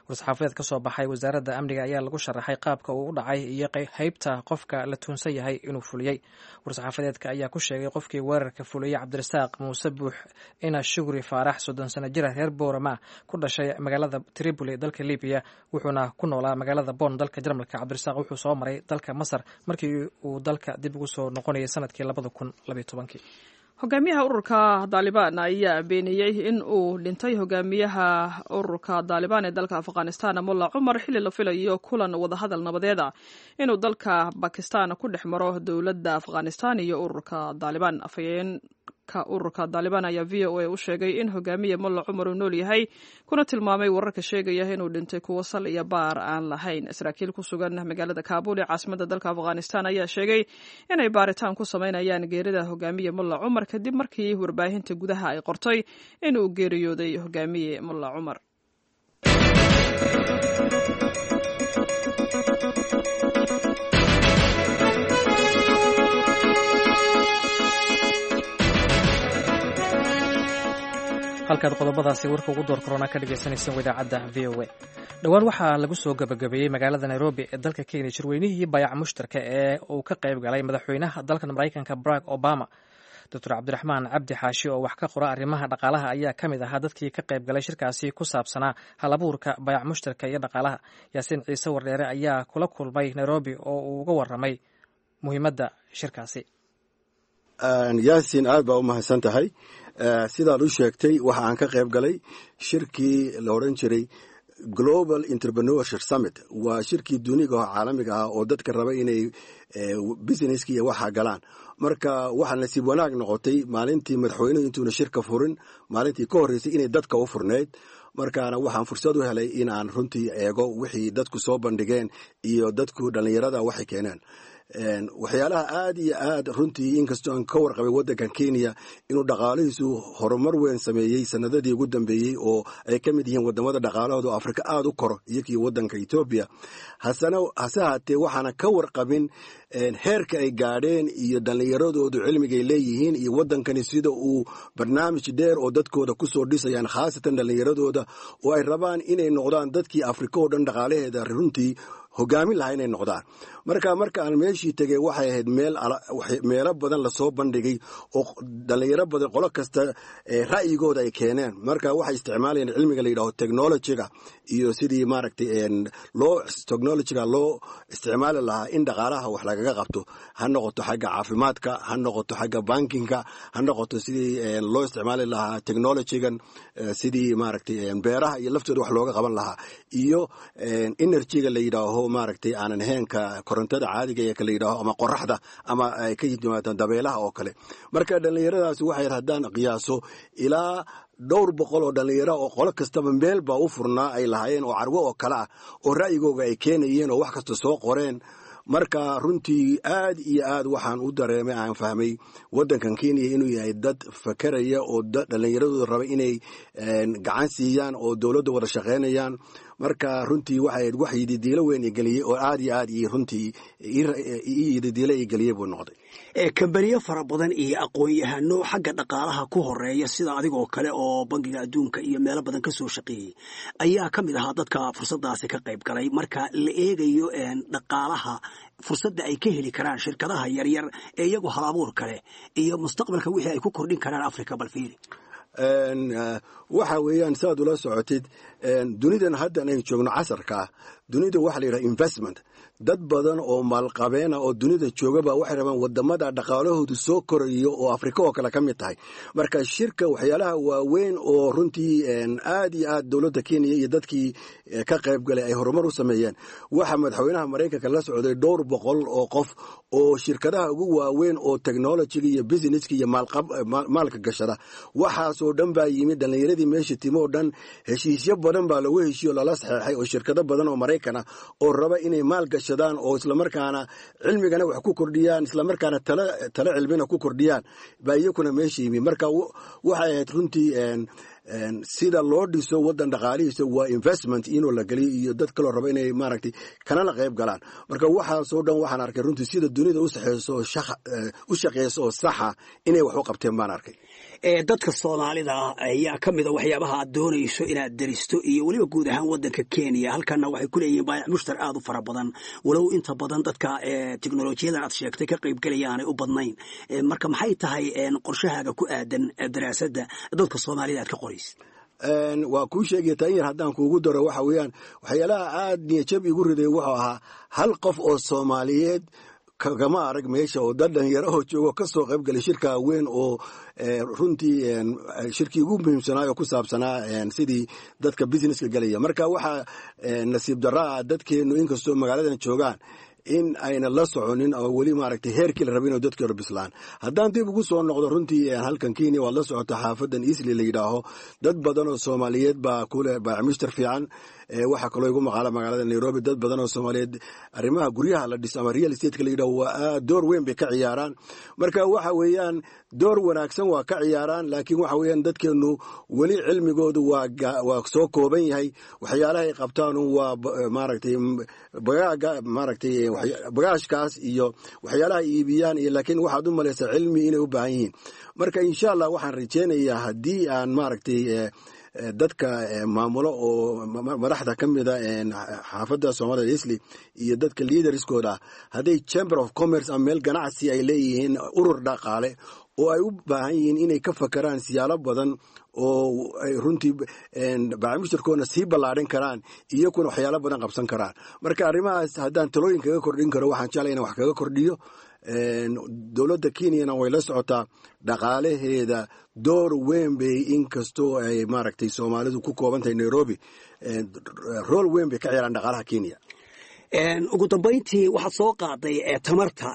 [SPEAKER 2] War-saxaafadeed ka soo baxay wasaaradda amniga ayaa lagu sharaxay qaabka uu u dhacay iyo haybta qofka la tuunsan yahay inuu fuliyey. War-saxaafadeedka ayaa ku sheegay qofkii weerarka fuliyey Cabdirasaaq Muuse Buux ina Shugri Faarax, 30 sano jira, reer Boorama, ku dhashay magaalada Tripoli dalka Libiya, wuxuuna ku noolaa magaalada Bon dalka Jarmalka. Cabdirasaaq wuxuu soo maray dalka Masar markii uu dalka dib ugu soo noqonayay sanadkii 2012.
[SPEAKER 1] Hogaamiyaha ururka Daalibaan ayaa beeniyey in uu dhintay hogaamiyaha ururka Daalibaan ee dalka Afghanistan, Mulla Cumar, xilli la filayo kulan wadahadal nabadeed ah inuu dalka Bakistan ku dhex maro dowladda Afghanistan iyo ururka Daalibaan. Afhayeenka ururka Daalibaan ayaa VOA u sheegay in hogaamiye Mulla Cumar uu nool yahay, kuna tilmaamay wararka sheegaya inuu dhintay kuwo sal iyo baar aan lahayn. Saraakiil ku sugan magaalada Kaabul ee caasimada dalka Afghanistan ayaa sheegay inay baaritaan ku sameynayaan geerida hogaamiye Mulla Cumar kadib markii warbaahinta gudaha ay qortay inuu geeriyooday hogaamiye Mulla Cumar.
[SPEAKER 2] Halkaad qodobadaasi warka ugu door korona ka dhegaysaneyseen idaacadda VOA. Dhowaan waxaa lagu soo gabagabeeyey magaalada Nairobi ee dalka Kenya shirweynihii bayac mushtarka ee uu ka qayb galay madaxweynaha dalkan Maraykanka Barack Obama. Doctor Cabdiraxmaan Cabdi Xaashi oo wax ka qora arrimaha dhaqaalaha ayaa ka mid ahaa dadkii ka qayb galay shirkaasi ku saabsanaa halabuurka bayac mushtarka iyo dhaqaalaha. Yaasiin Ciise Wardheere ayaa kula kulmay Nairobi oo uu uga warramay muhiimadda shirkaasi.
[SPEAKER 8] Yaasin, aad baa u mahadsan tahay. Sidaad u sheegtay, waxa aan ka qayb galay shirkii la odhan jiray Global Entrepreneurship Summit. Waa shirkii duniga oo caalamiga ah oo dadka raba inay businesski iyo waxa galaan. Marka waxaa nasiib wanaag noqotay maalintii madaxweynuhu intuuna shirka furin, maalintii ka horreysay inay dadka u furnayd. Markaana waxaan fursad u helay in aan runtii eego wixii dadku soo bandhigeen iyo dadku dhallinyarada waxay keeneen. Waxyaalaha aad iyo aad runtii, inkastoo aan ka warqabay waddankan Kenya inuu dhaqaalihiisu horumar weyn sameeyey sanadadii ugu dambeeyey, oo ay ka mid yihiin wadamada dhaqaalahooda oo Afrika aada u koro iyo kii waddanka Etoobiya, hasana hase haatee waxaana ka warqabin heerka ay gaadheen iyo dhallinyaradoodu cilmigay leeyihiin iyo waddankani sida uu barnaamij dheer oo dadkooda kusoo dhisayaan, khaasatan dhallinyaradooda oo ay rabaan inay noqdaan dadkii Afrika oo dhan dhaqaalaheeda runtii hogaamin lahaa inay noqdaan. Marka aan meeshii tegey, waxay ahayd meelo badan lasoo bandhigay oo dhallinyaro badan qolo kasta ra'yigooda ay keeneen. Marka waxay isticmaalayeen cilmiga la yidhaho technologyga iyo sidii maaragtay loo technologyga loo isticmaali lahaa in dhaqaalaha wax lagaga qabto, ha noqoto xagga caafimaadka, ha noqoto xagga bankinga, ha noqoto sidii loo isticmaali lahaa technologygan sidii maaragtay beeraha iyo laftooda wax looga qaban lahaa, iyo energyga la yidhaaho maaragtay aanan ahaynka korontada caadiga ee kala yidhaaho ama qoraxda ama ay ka yimaadaan dabeelaha oo kale. Marka dhallinyaradaasi waxay haddaan qiyaaso ilaa Dhowr boqol oo dhallinyaro oo qolo kastaba meel baa u furnaa ay lahaayeen oo carwo oo kale ah oo ra'yigooga ay keenayeen oo wax kasta soo qoreen. Marka runtii aad iyo aad waxaan u dareemay, aan fahmay waddankan Kenya inuu yahay dad fakeraya oo dhallinyaradooda raba inay gacan siiyaan oo dowladda wada shaqaynayaan. Marka runtii waxay wax yididiilo weyn igeliyey oo aad iyo aad iyo runtii ii yididiilo igeliyey buu noqday.
[SPEAKER 9] Kambaniyo fara badan iyo aqoon-yahano xagga dhaqaalaha ku horeeya sida adigoo kale oo Bangiga Adduunka iyo meelo badan ka soo shaqeeyey ayaa ka mid ahaa dadka fursadaasi ka qayb galay. Marka la eegayo dhaqaalaha, fursadda ay ka heli karaan shirkadaha yaryar ee iyagu hal abuur kale iyo mustaqbalka wixii ay ku kordhin karaan Africa, bal fiiri.
[SPEAKER 8] Waxa weeyaan, sidaad ula socotid, dunidan haddan aynu joogno casarka ah, dunida waxa la yidhaha investment. Dad badan oo maalqabeena oo dunida joogaba waxay rabaan wadamada dhaqaalahoodu soo korayo oo Afrika oo kale ka mid tahay. Marka shirka waxyaalaha waaweyn oo runtii aad iyo aad dowladda Kenya iyo dadkii ka qayb galay ay horumar u sameeyeen, waxaa madaxweynaha Maraykanka la socday dhowr boqol oo qof oo shirkadaha ugu waaweyn oo technologyga iyo businesska iyo maalka gashada. Waxaasoo dhan baa yimid dhallinyaradii meesha timo oo dhan. Heshiisyo badan baa lagu heshiiyo, lala saxeexay oo shirkado badan oo Maraykan ah oo raba inay maal gashadaan oo islamarkaana cilmigana wax ku kordhiyaan, islamarkaana talo cilmina ku kordhiyaan baa iyakuna meesha yimi. Marka waxay ahayd runtii sida loo dhiso waddan dhaqaalihiisa waa investment inuu la geliyo iyo dad kaloo raba inay maaragtay kanala qayb galaan. Marka waxaasoo dhan waxaan arkay runtii sida dunida u shaqeyso oo saxa inay wax u qabteen baan arkay.
[SPEAKER 9] Dadka Soomaalida ayaa ka mida waxyaabaha aad doonayso inaad deristo iyo weliba guud ahaan waddanka Kenya. Halkana waxay ku leeyihiin baayac mushtar aad u fara badan, walow inta badan dadka teknolojiyadan aad sheegtay ka qaybgelaya aanay u badnayn. Marka maxay tahay qorshahaaga ku aadan daraasadda dadka Soomaalida aad ka qoraysa?
[SPEAKER 8] Waa kuu sheegaya taa. In yar haddaan kuugu daro, waxa weeyaan waxyaalaha aad niyajab igu riday wuxuu ahaa hal qof oo Soomaaliyeed kagama arag meesha oo dad dhalinyarahoo joogo ka soo qayb galay shirka weyn oo runtii shirkii ugu muhiimsanaa oo ku saabsanaa sidii dadka businesska gelaya. Marka waxaa nasiib darraa dadkeennu inkastoo magaaladan joogaan in ayna la soconin oo weli maaragtay heerkii la rabay inuu dadkii hore bislaan. Haddaan dib ugu soo noqdo runtii halkan Kenya, waad la socota xaafadan Eastleigh la yidhaaho dad badan oo Soomaaliyeed baa kule baacmishtar fiican. Waxaa kaloo igu maqaala magaalada Nairobi dad badan oo Soomaaliyeed arrimaha guryaha la dhiso ama real estate la yidhaho waa door weyn bay ka ciyaaraan. Marka waxa weeyaan door wanaagsan waa ka ciyaaraan, laakiin waxa weeyaan dadkeennu weli cilmigoodu waa soo kooban yahay. Waxyaalaha ay qabtaan waa maaragtay bagaaga, maaragtay bagaashkaas iyo waxyaalaha ay iibiyaan iyo, laakiin waxaad u malaysaa cilmi inay u baahan yihiin. Marka insha Allah waxaan rajeynayaa haddii aan maaragtay dadka maamulo oo madaxda ka mida xaafadda Soomaalida Eastleigh iyo dadka leaderskooda, hadday chamber of commerce ama meel ganacsi ay leeyihiin, urur dhaqaale oo ay u baahan yihiin inay ka fakaraan siyaalo badan oo ay runtii bacamushtarkoodna sii ballaadhin karaan, iyakuna waxyaalo badan qabsan karaan. Marka arrimahaas haddaan talooyin kaga kordhin karo, waxaan jeclay inaan wax kaga kordhiyo. Dowladda Kenyana way la socotaa dhaqaalaheeda door weyn bay, inkastoo ay maaragtay Soomaalidu ku kooban tahay Nairobi, rool weyn bay ka ciyaaraan dhaqaalaha Kenya.
[SPEAKER 9] Ugu dambayntii, waxaad soo qaaday tamarta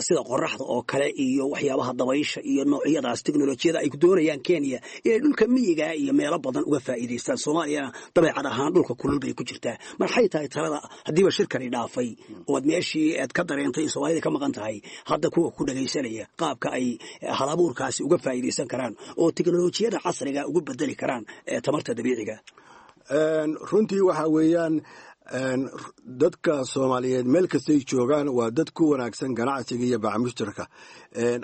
[SPEAKER 9] sida qoraxda oo kale iyo waxyaabaha dabaysha iyo noocyadaas teknolojiyada ay doonayaan Kenya inay dhulka miyiga iyo meelo badan uga faa'iidaystaan. Soomaaliyana dabeecad ahaan dhulka kulul bay ku jirtaa. Maxay tahay talada haddiiba shirkani dhaafay oo aad meeshii aad ka dareentay in Soomaalida ka maqan tahay, hadda kuwa ku dhagaysanaya qaabka ay halabuurkaasi uga faa'iidaysan karaan oo teknolojiyada casriga ugu bedeli karaan tamarta dabiiciga?
[SPEAKER 8] Runtii waxa weeyaan dadka Soomaaliyeed meel kastay joogaan waa dad ku wanaagsan ganacsiga iyo bacmushtarka.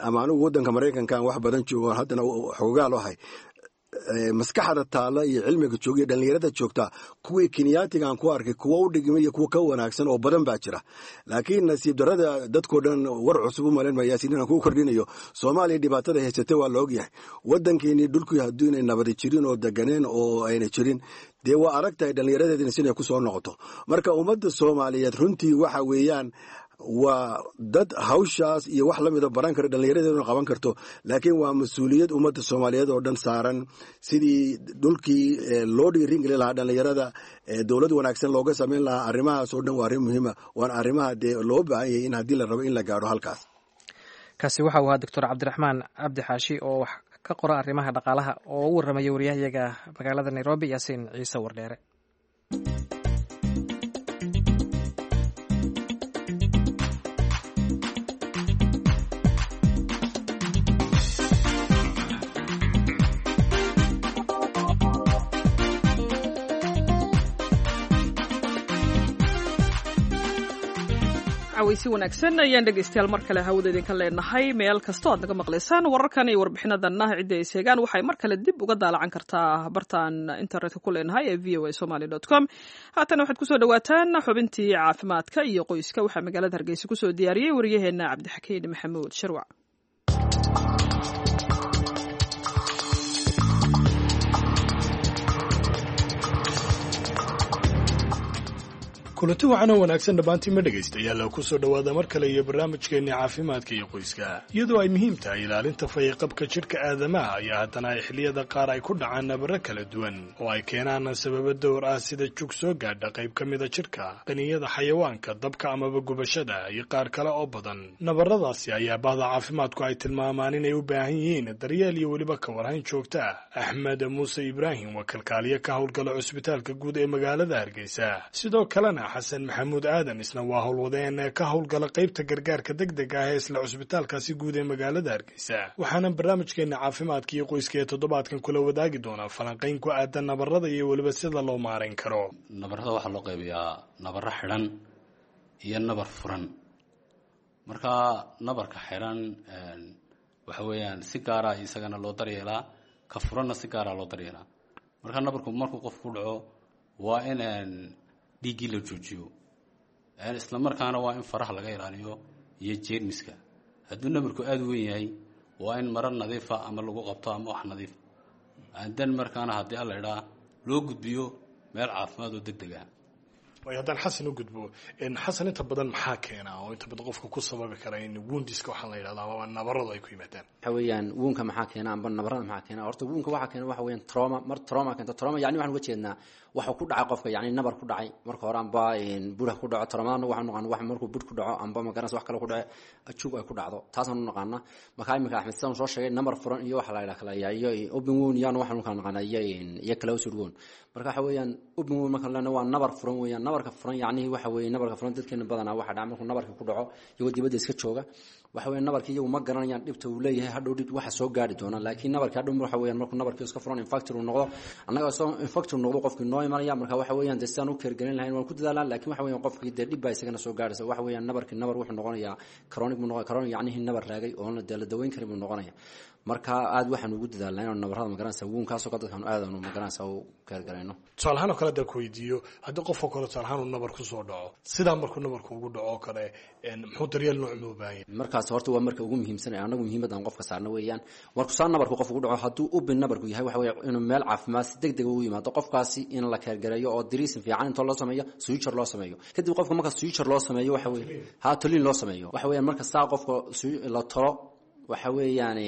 [SPEAKER 8] Ama anigu waddanka Maraykankan wax badan joogo, haddana xoogaal ahay, maskaxda taalla iyo cilmiga jooga iyo dhallinyarada joogta kuwii Kenyaatigaan ku arkay kuwa u dhigmay iyo kuwa ka wanaagsan oo badan baa jira. Laakiin nasiib darrada dadkoo dhan war cusub u malayn mayaasiin inaan kuu kordhinayo, Soomaaliya dhibaatada haysatay waa la ogyahay. Waddankeenii dhulkii hadduu inay nabadi jirin oo deganeen oo ayna jirin, dee waa adag tahay dhallinyaradeedina sinay ku soo noqoto. Marka ummadda Soomaaliyeed runtii waxa weeyaan waa dad hawshaas iyo wax la mida baran kara, dhallinyaradeeduna qaban karto, laakiin waa mas-uuliyad ummadda Soomaaliyeed oo dhan saaran sidii dhulkii loo dhiirin gelin lahaa dhallinyarada, dowlad wanaagsan looga samayn lahaa. Arrimahaas oo dhan waa arrin muhiima, waana arrimaha dee loo baahan yahay in haddii la rabo in la gaadho halkaas.
[SPEAKER 2] Kaasi waxa uu ahaa Doctor Cabdiraxmaan Cabdi Xaashi oo wax ka qora arrimaha dhaqaalaha oo u warramaya wariyahayaga magaalada Nairobi, Yaasiin Ciise Wardheere.
[SPEAKER 1] Cawaysi wanaagsan ayaan dhegaystayaal mar kale hawada idinka leenahay meel kastoo aad naga maqlaysaan. Wararkan iyo warbixinadanna cidda ay seegaan waxay mar kale dib uga daalacan kartaa bartaan internetka ku leenahay ee v o a somali com. Haatana waxaad kusoo dhawaataan xubintii caafimaadka iyo qoyska. Waxaa magaalada Hargeysa kusoo diyaariyey wariyaheenna Cabdixakiin Maxamuud Shirwac.
[SPEAKER 10] Kulanti wacan oo wanaagsan dhammaantiinma dhegaystayaal, kusoo dhowaada mar kale iyo barnaamijkeenni caafimaadka iyo qoyska. Iyadoo ay muhiim tahay ilaalinta fayoqabka jidhka aadamaha, ayaa haddana ay xilliyada qaar ay ku dhacaan nabaro kala duwan oo ay keenaan sababo dowr ah, sida jug soo gaadha qayb ka mida jidhka, qaniyada xayawaanka, dabka amaba gubashada iyo qaar kale oo badan. Nabaradaasi ayaa bahda caafimaadku ay tilmaamaan inay u baahan yihiin daryeel iyo weliba ka warhayn joogta ah. Axmed Muuse Ibraahim waa kalkaaliye ka howlgala cusbitaalka guud ee magaalada Hargeysa. Sidoo kalena Xasan Maxamuud Aadan isna waa howlwadeen ka howlgala qaybta gargaarka degdega ah ee isla cusbitaalkaasi guud ee magaalada Hargeysa. Waxaana barnaamijkeena caafimaadka iyo qoyska ee toddobaadkan kula wadaagi doonaa falanqayn ku aadan nabarada iyo weliba sida loo maarayn karo.
[SPEAKER 11] Nabarada waxaa loo qaybiyaa nabaro xidhan iyo nabar furan. Marka nabarka xidhan waxa weeyaan si gaara isagana loo daryeelaa, ka furanna si gaara loo daryeelaa. Marka nabarku markuu qofku ku dhaco waa in dhiiggii la joojiyo, isla markaana waa in faraha laga ilaaliyo iyo jeermiska. Hadduu nabarku aada u weyn yahay waa in maro nadiifa ama lagu qabto ama wax nadiif dan, markaana haddii alla idhaa loo gudbiyo meel caafimaad oo deg deg ah.
[SPEAKER 10] Waayo, haddaan Xasan u gudbo, Xasan, inta badan maxaa keena oo inta badan qofka ku sababi kara in woundiska waxaan la yidhahda amaba nabaradu ay ku yimaadaan?
[SPEAKER 12] Waxa weeyaan woundka maxaa keena amba nabarada maxaa keena? Horta woundka waxaa keena waxa weeyaan trauma. Mar trauma keento, trauma yacni waxaan uga jeednaa waxa ku dhacay qofka, yacni nabar ku dhacay marka hore amba bur ku dhaco. Traumadana waxaan naqaana wax markuu bur ku dhaco amba magaranaysa wax kale ku dhaco, jug ay ku dhacdo, taasaan u naqaana. Marka iminka Axmed sidaan soo sheegay, nabar furan iyo waxa la yidhaha kala iyo open wound yaana waxaan u kala naqaana iyo closed wound. Marka waxa weeyaan open wound marka lena waa nabar furan weeyaan. Nabarka furan yacnihi waxa weeye nabarka furan dadkeena badanaa waxa dhaca markuu nabarka ku dhaco iyagoo dibadda iska jooga, waxa weeye nabarkii iyagu ma garanayaan dhibta uu leeyahay, hadhow dhib waxa soo gaari doona. Laakiin nabarkii hadhow waxa weeyaan markuu nabarkii iska furan infected uu noqdo, annaga soo infected noqdo qofkii noo imanaya. Marka waxa weeyaan dee sidaan u keergelin lahayn waan ku dadaalaa, laakiin waxa weeyaan qofkii dee dhib baa isagana soo gaaraysa. Waxa weeyaan nabarkii nabar wuxuu noqonayaa chronic buu noqonaya, chronic yacnihi nabar raagay oon dee la daweyn karin buu noqonaya. Marka aad waxaan ugu dadaalnaa inaanu nabarada magaranaysa woundkaasoo kale dadkaanu aad aanu magaranaysa u keergalayno.
[SPEAKER 10] Tusaale ahaan oo kale haddaan ku weydiiyo, haddii qofoo kale tusaale ahaan uu nabar kusoo dhaco, sidaa markuu nabarku ugu dhaco oo kale, muxuu daryeel nooc muu baahan yahay?
[SPEAKER 12] Markaas horta waa marka ugu muhiimsan ee anagu muhiimadda aan qofka saarno weeyaan. Markuu saa nabarku qofku ku dhaco, hadduu ubin nabarku yahay, waxa weeye inuu meel caafimaad si deg deg ugu yimaado qofkaasi, in la keergareeyo oo dressing fiican intoo loo sameeyo, suture loo sameeyo. Kadib qofka marka suture loo sameeyo, waxa weeye ha tolin loo sameeyo, waxa weeyaan marka saa qofka la tolo, waxa weeyaan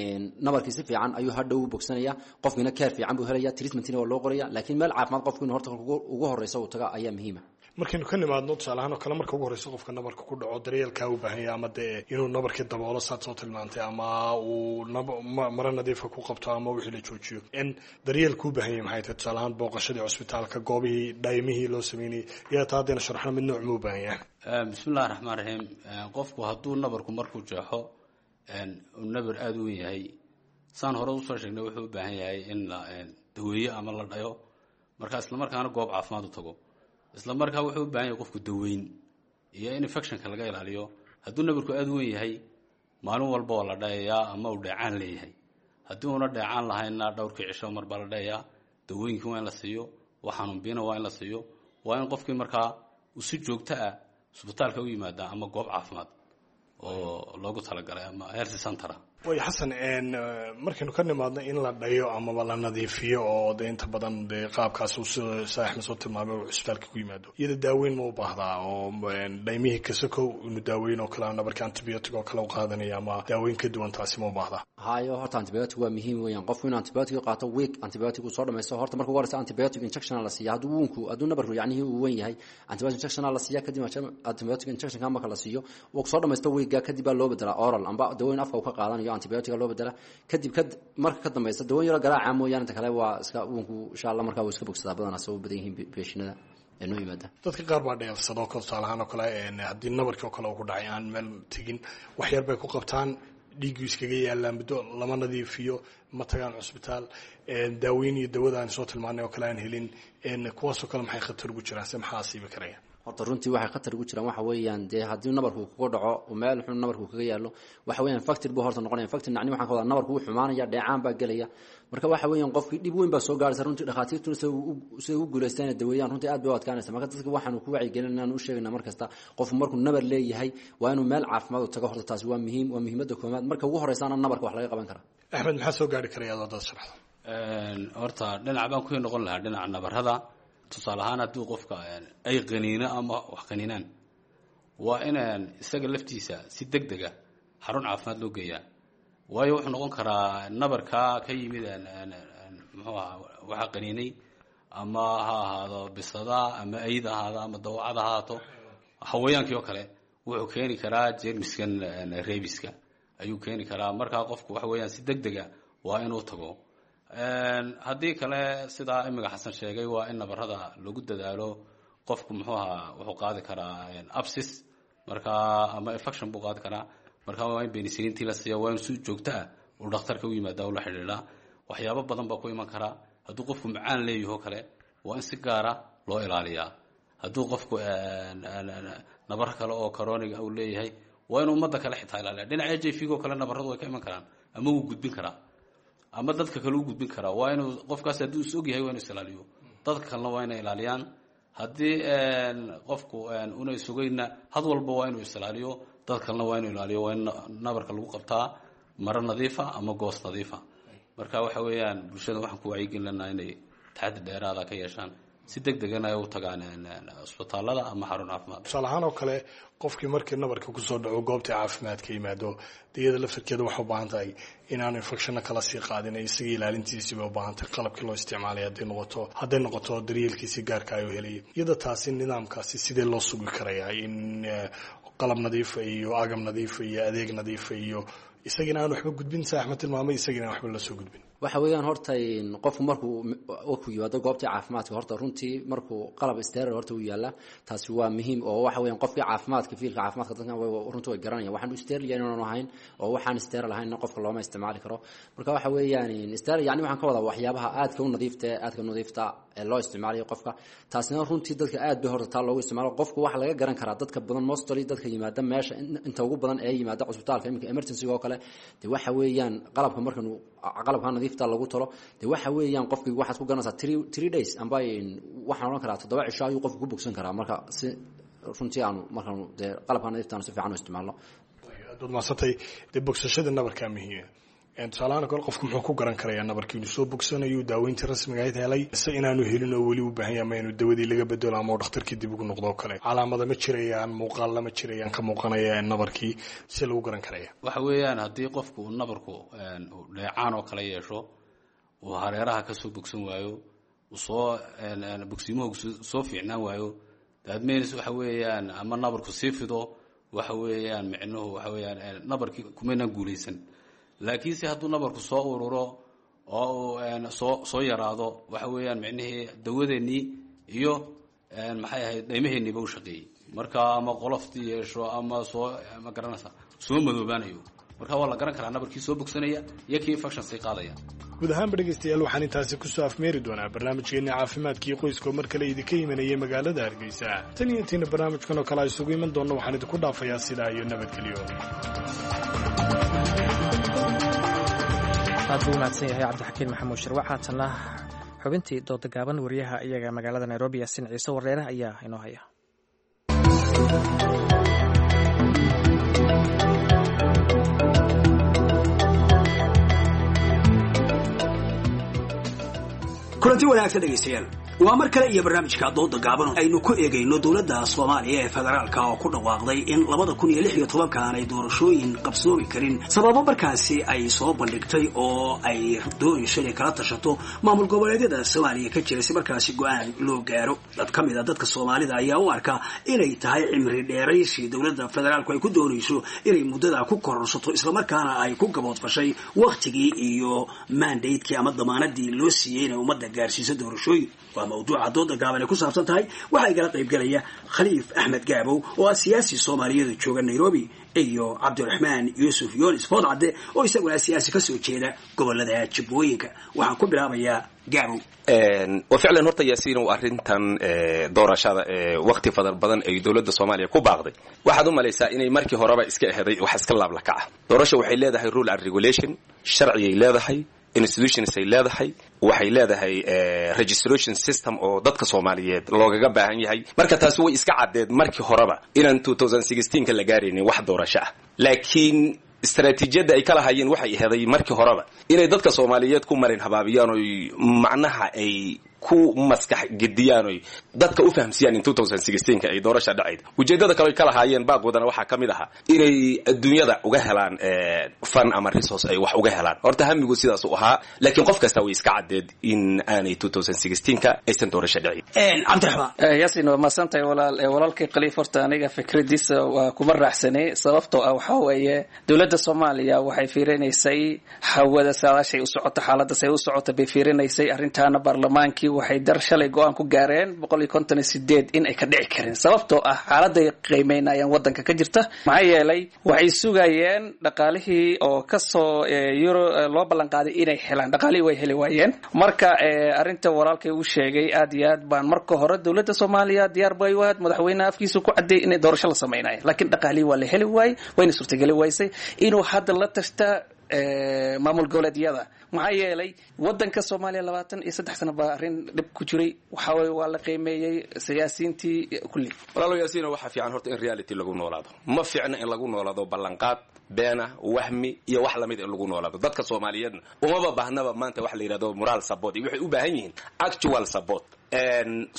[SPEAKER 12] nabarkii si fiican ayuu hadhow u bogsanaya, qofkiina care fiican buu helaya, treatmentina waa loo qoraya. Laakiin meel caafimaad qofku inuu horta ugu horeysa uu taga ayaa muhiima.
[SPEAKER 10] Markaynu ka nimaadno tusaale ahaan oo kale marka ugu horeysa qofka nabarka ku dhaco daryeelkaa u baahan yahay, ama dee inuu nabarkii daboolo saad soo tilmaantay, ama uu maro nadiifa ku qabto, ama wixii la joojiyo, in daryeelku u baahan yahay maxay tahay? Tusaale ahaan booqashadii cusbitaalka, goobihii dhaymihii loo sameynayay, yaa taa haddayna sharaxno mid nooc muu u baahan yahay?
[SPEAKER 11] Bismillahi raxmaan raxiim. Qofku hadduu nabarku markuu jeexo uu nabar aada u weyn yahay, saan hore usoo sheegnay, wuxuu u baahan yahay in la daweeyo ama la dhayo, marka isla markaana goob caafimaad u tago. Isla markaa wuxuu u baahan yahay qofku daweyn iyo in infectionka laga ilaaliyo. Hadduu nabarku aada u weyn yahay maalin walba waa la dhayayaa ama uu dheecaan leeyahay. Haddii uuna dheecaan lahaynna dhowrkii cisho mar baa la dhayayaa. Dawooyinkii waa in la siiyo, wax xanuunbiina waa in la siiyo, waa in qofkii markaa uu si joogto ah isbitaalka u yimaada ama goob caafimaad oo loogu talagalay ama health center.
[SPEAKER 10] Way Xasan, markaynu ka nimaadno in la dhayo amaba la nadiifiyo oo de inta badan dee qaabkaas uu sida saaxib soo tilmaamay uu cisbitaalka ku yimaado, iyada daaweyn ma u baahdaa oo dhaymihii kasakow inuu daaweyn oo kale nabarka antibiotic oo kale u qaadanaya ama daaweyn ka duwan taasi ma u baahdaa?
[SPEAKER 12] Hayo, horta antibiotic waa muhiim weeyaan. Qofku inuu antibiotic qaato, week antibiotic uu soo dhamaysto. Horta marka ugu horeysa antibiotic injection la siiya. Hadduu woundku, hadduu nabarku yacnihii uu weyn yahay, antibiotic injection la siiya. Kadib antibiotic injectionka marka la siiyo uu soo dhamaysto weekga, kadib baa loo bedelaa oral amba dawooyin afka uu ka qaadanayo. garanayo antibiotic loo bedela. Kadib ka marka ka dambaysa dawo yaro garaaca mooyaane inta kale waa iska woundku insha Allah markaa wuu iska bogsadaa. Badanaa soo badan yihiin patientada ee noo yimaada.
[SPEAKER 10] Dadka qaar baa dheefsado kale, tusaale ahaan oo kale, haddii nabarkii oo kale uu ku dhacay aan meel tegin, wax yar bay ku qabtaan, dhiiggu iskaga yaalaa muddo, lama nadiifiyo, ma tagaan cusbitaal, daaweyn iyo dawada aan soo tilmaanay oo kale aan helin. Kuwaasoo kale maxay khatar ugu jiraan, se maxaa asiibi karaya?
[SPEAKER 12] Horta runtii waxay khatar ugu jiraan waxa weeyaan dee haddii nabarku kuga dhaco oo meel xun nabarku kaga yaallo, waxa weeyaan factor buu horta noqonaya. Factor nacni waxaan ka wadaa nabarku wuu xumaanaya, dheecaan baa gelaya. Marka waxa weeyaan qofkii dhib weyn baa soo gaaraysa runtii. Dhakhaatiirtuna sida ugu guulaystaan daweeyaan runtii aad bay u adkaanaysa. Marka dadka waxaanu ku wacyigelinayna u sheegaynaa mar kasta, qofku markuu nabar leeyahay waa inuu meel caafimaad u tago. Horta taasi waa muhiim, waa muhiimadda koowaad. Marka ugu horeysaana nabarka wax laga qaban karaa.
[SPEAKER 10] Axmed, maxaa soo gaari karaya adoo dad sharaxdo?
[SPEAKER 11] Horta dhinac baan ku noqon lahaa, dhinaca nabarada. Tusaale ahaan haddii qofka ay qaniino ama wax qaniinaan, waa inaan isaga laftiisa si deg dega xarun caafimaad loo geeyaa, waayo wuxuu noqon karaa nabarkaa ka yimid muxuu ahaa waxaa qaniinay, ama ha ahaado bisada ama ayda ahaado ama dawacada ha ahaato, xawayaankii oo kale, wuxuu keeni karaa jeermiskan rabieska ayuu keeni karaa. Markaa qofku waxa weeyaan si deg dega waa inuu tago. Haddii kale, sidaa imiga Xasan sheegay, waa in nabarada lagu dadaalo. Qofku muxuu ahaa wuxuu qaadi karaa abscess markaa ama infection buu qaadi karaa. Marka waa in penicillintii la siiya, waa in si joogto ah uu dhakhtarka u yimaada ula xidhiidhaa. Waxyaabo badan baa ku iman karaa. Hadduu qofku macaan leeyaho kale, waa in si gaara loo ilaaliyaa. Hadduu qofku nabaro kale oo chronic uu leeyahay, waa inuu ummadda kale xitaa ilaaliya. Dhinaca HIV oo kale nabaradu way ka iman karaan, ama wuu gudbin karaa ama dadka kale u gudbin karaa. Waa inuu qofkaas hadduu is og yahay waa inuu is ilaaliyo, dadka kalena waa inay ilaaliyaan. Haddii qofku una isugayna, had walba waa inuu is ilaaliyo, dad kalena waa inuu ilaaliyo. Waa in nabarka lagu qabtaa maro nadiifa ama goos nadiifa. Marka waxa weeyaan bulshada waxaan ku wacyigelin lanaa inay taxaddi dheeraada ka yeeshaan, si deg degana ay u tagaan isbitaalada ama xarun caafimaad.
[SPEAKER 10] Tusaale ahaan oo kale, qofkii markii nabarka kusoo dhaco goobtii caafimaadka yimaado, iyada laftarkeeda waxay u baahan tahay inaanu infectionna kala sii qaadin, isaga ilaalintiisii bay u baahan tahay, qalabkii loo isticmaalay hadday noqoto daryeelkiisii gaarka ayuu helayay. Iyada taasi nidaamkaasi sidee loo sugi karayaa in qalab nadiifa iyo agab nadiifa iyo adeeg nadiifa iyo isagina aan waxba gudbin, sa Axmed tilmaamay, isagina aan waxba la soo gudbin?
[SPEAKER 12] Waxa weeyaan horta qofku markuu ku yimaado goobtii caafimaadka, horta runtii markuu qalab sterile horta uu yaala, taasi waa muhiim. Oo waxa weeyaan qofkii caafimaadka, fieldka caafimaadka dadkan runtii way garanayaan waxaan sterile inaanu ahayn, oo waxaan sterile ahayn qofka looma isticmaali karo. Marka waxa weeyaan sterile yani waxaan ka wadaa waxyaabaha aadka u nadiifta, aadka u nadiifta ee loo isticmaalayo qofka. Taasina runtii dadka aad bay horta taa loogu isticmaalo. Qofku waxa laga garan karaa dadka badan, mostly dadka yimaada meesha, inta ugu badan ee yimaada cusbitaalka iminka emergency oo kale, de waxa weeyaan qalabka markanu qalabka nadiifta lagu talo, de waxa weeyaan qofkii waxaad ku garanaysaa 3 days amba waxaan odhan karaa 7 cisho ayuu qofku ku bogsan karaa, marka si runtii aanu markaanu dee qalabka nadiifta aanu si fiican u isticmaalno.
[SPEAKER 10] Aad baad mahadsantay. Dee bogsashada nabarkaa muhiima. Tusaalahaan kale, qofku muxuu ku garan karayaa nabarkii inuu soo bogsanayo, daaweyntii rasmiga ahayd helay, ise inaanu helin oo weli u baahan yahay, ama inuu dawadii laga bedelo ama uu dhakhtarkii dib ugu noqdo oo kale? Calaamada ma jirayaan, muuqaal ma jirayaan ka muuqanaya nabarkii, si lagu garan karaya?
[SPEAKER 11] Waxa weeyaan haddii qofku uu nabarku dheecaan oo kale yeesho, uu hareeraha ka soo bogsan waayo, uu soo bogsiimuhu soo fiicnaan waayo, that means waxa weeyaan ama nabarku sii fido, waxa weeyaan micnuhu waxa weeyaan nabarkii kumaynaan guulaysan. Laakiinse hadduu nabarku soo ururo oo uu soo yaraado, waxa weeyaan micnihii dawadeennii iyo maxay ahayd dhaymaheeniiba u shaqeeyey. Marka ama qoloftii yeesho ama soo ma garanaysa soo madoobaanayo, marka waa la garan karaa nabarkii soo bogsanaya iyo kii infection sii qaadaya.
[SPEAKER 10] Guud ahaanba dhegeystayaal, waxaan intaasi kusoo afmeeri doonaa barnaamijkeenni caafimaadkii qoyska oo mar kale idinka imanayay magaalada Hargeysa. Tan iyo intiina barnaamijkan oo kale isugu iman doonno, waxaan idinku dhaafayaa sidaa iyo nabadgelyo.
[SPEAKER 2] Aad buu umahadsan yahay Cabdixakiin Maxamuud Shirwac. Haatanna xubintii dooda gaaban, wariyaha iyaga magaalada Nairobi Yaasin Ciise Wareere ayaa inoo haya.
[SPEAKER 9] Kulanti wanaagsan dhegaystayaal. Waa mar kale iyo barnaamijka dooda gaaban aynu ku eegayno dowladda Soomaaliya ee federaalka oo ku dhawaaqday in 2016 aanay doorashooyin qabsoomi karin, sababo markaasi ay soo bandhigtay oo ay doonayso inay kala tashato maamul goboleedyada Soomaaliya ka jira si markaasi go-aan loo gaaro. Dad ka mid a dadka Soomaalida ayaa u arka inay tahay cimri dheeraysi dowladda federaalku ay ku doonayso inay muddada ku kororsato, islamarkaana ay ku gaboodfashay wakhtigii iyo mandatekii ama damaanadii loo siiyey inay ummadda gaarsiiso doorashooyin. Waa mawduuca dooda gaaban ay ku saabsan tahay. Waxaa igala qaybgalaya Khaliif Axmed Gaabow oo ah siyaasi Soomaaliyeed jooga Nairobi iyo Cabdiraxmaan Yuusuf Yoonis Foodcadde oo isaguna siyaasi kasoo jeeda gobolada Jubbooyinka. Waxaan ku bilaabayaa Gaabow.
[SPEAKER 13] Wa ficlan, horta Yaasiin, arrintan doorashada waqti fadal badan ay dowladda Soomaaliya ku baaqday, waxaad u malaysaa inay markii horeba iska eheday wax iska laablakaca. Doorasha waxay leedahay rule and regulation, sharciyay leedahay, institutions ay leedahay, waxay leedahay registration system oo dadka Soomaaliyeed loogaga baahan yahay. Marka taasi way iska caddeed markii horeba inaan 2016ka la gaaraynin wax doorasho ah, laakiin istaraatiijiyadda ay ka lahaayeen waxay aheeday markii horeba inay dadka Soomaaliyeed ku marin habaabiyaan oy macnaha ay ku maskax gediyaan oy dadka u fahamsiiyaan in 2016ka ay doorasha dhacayd. Ujeeddada kale ay ka lahaayeen baaqoodana waxaa ka mid ahaa inay adduunyada uga helaan fund ama resource ay wax uga helaan. Horta hamigu sidaas u ahaa, laakiin qof kasta way iska caddeed in aanay 2016ka aysan doorasha dhicin.
[SPEAKER 9] Cabdiraxmaan.
[SPEAKER 14] Yasin, waa mahadsantahay walaal. Walaalkay Khaliif, horta aniga fikradiisa waa kuma raacsanay, sababtoo ah waxaa weeye dowladda Soomaaliya waxay fiirinaysay hawada saadaashay u socoto, xaaladda say u socota bay fiirinaysay. Arrintaana baarlamaankii waxay dar shalay go-aan ku gaareen 158 in ay ka dhici karin, sababtoo ah xaaladay qiimeynayaan wadanka ka jirta. Maxaa yeelay waxay sugayeen dhaqaalihii oo kasoo euro loo ballan qaaday inay helaan, dhaqaalihii way heli waayeen. Marka arrinta walaalkay uu sheegay aad iyo aad baan, marka hore dowladda Soomaaliya diyaar bay u ahayd, madaxweynaha afkiisa ku cadeeyay inay doorasho la sameynayo, laakiin dhaqaalihii waa la heli waayey, wayna suurtageli waysay inuu hadda la tashta maamul goboleedyada. Maxaa yeelay wadanka Soomaaliya 23 sano baa arrin dhib ku jiray. Waxa weye waa la qiimeeyey siyaasiyiintii kulli.
[SPEAKER 13] Walaalo Yaasiino, waxaa fiican horta in reality lagu noolaado. Ma fiicna in lagu noolaado ballanqaad beena, wahmi iyo wax lamid in lagu noolaado. Dadka Soomaaliyeedna umaba baahnaba maanta wax la yidhahdo moral support, iyo waxay u baahan yihiin actual support.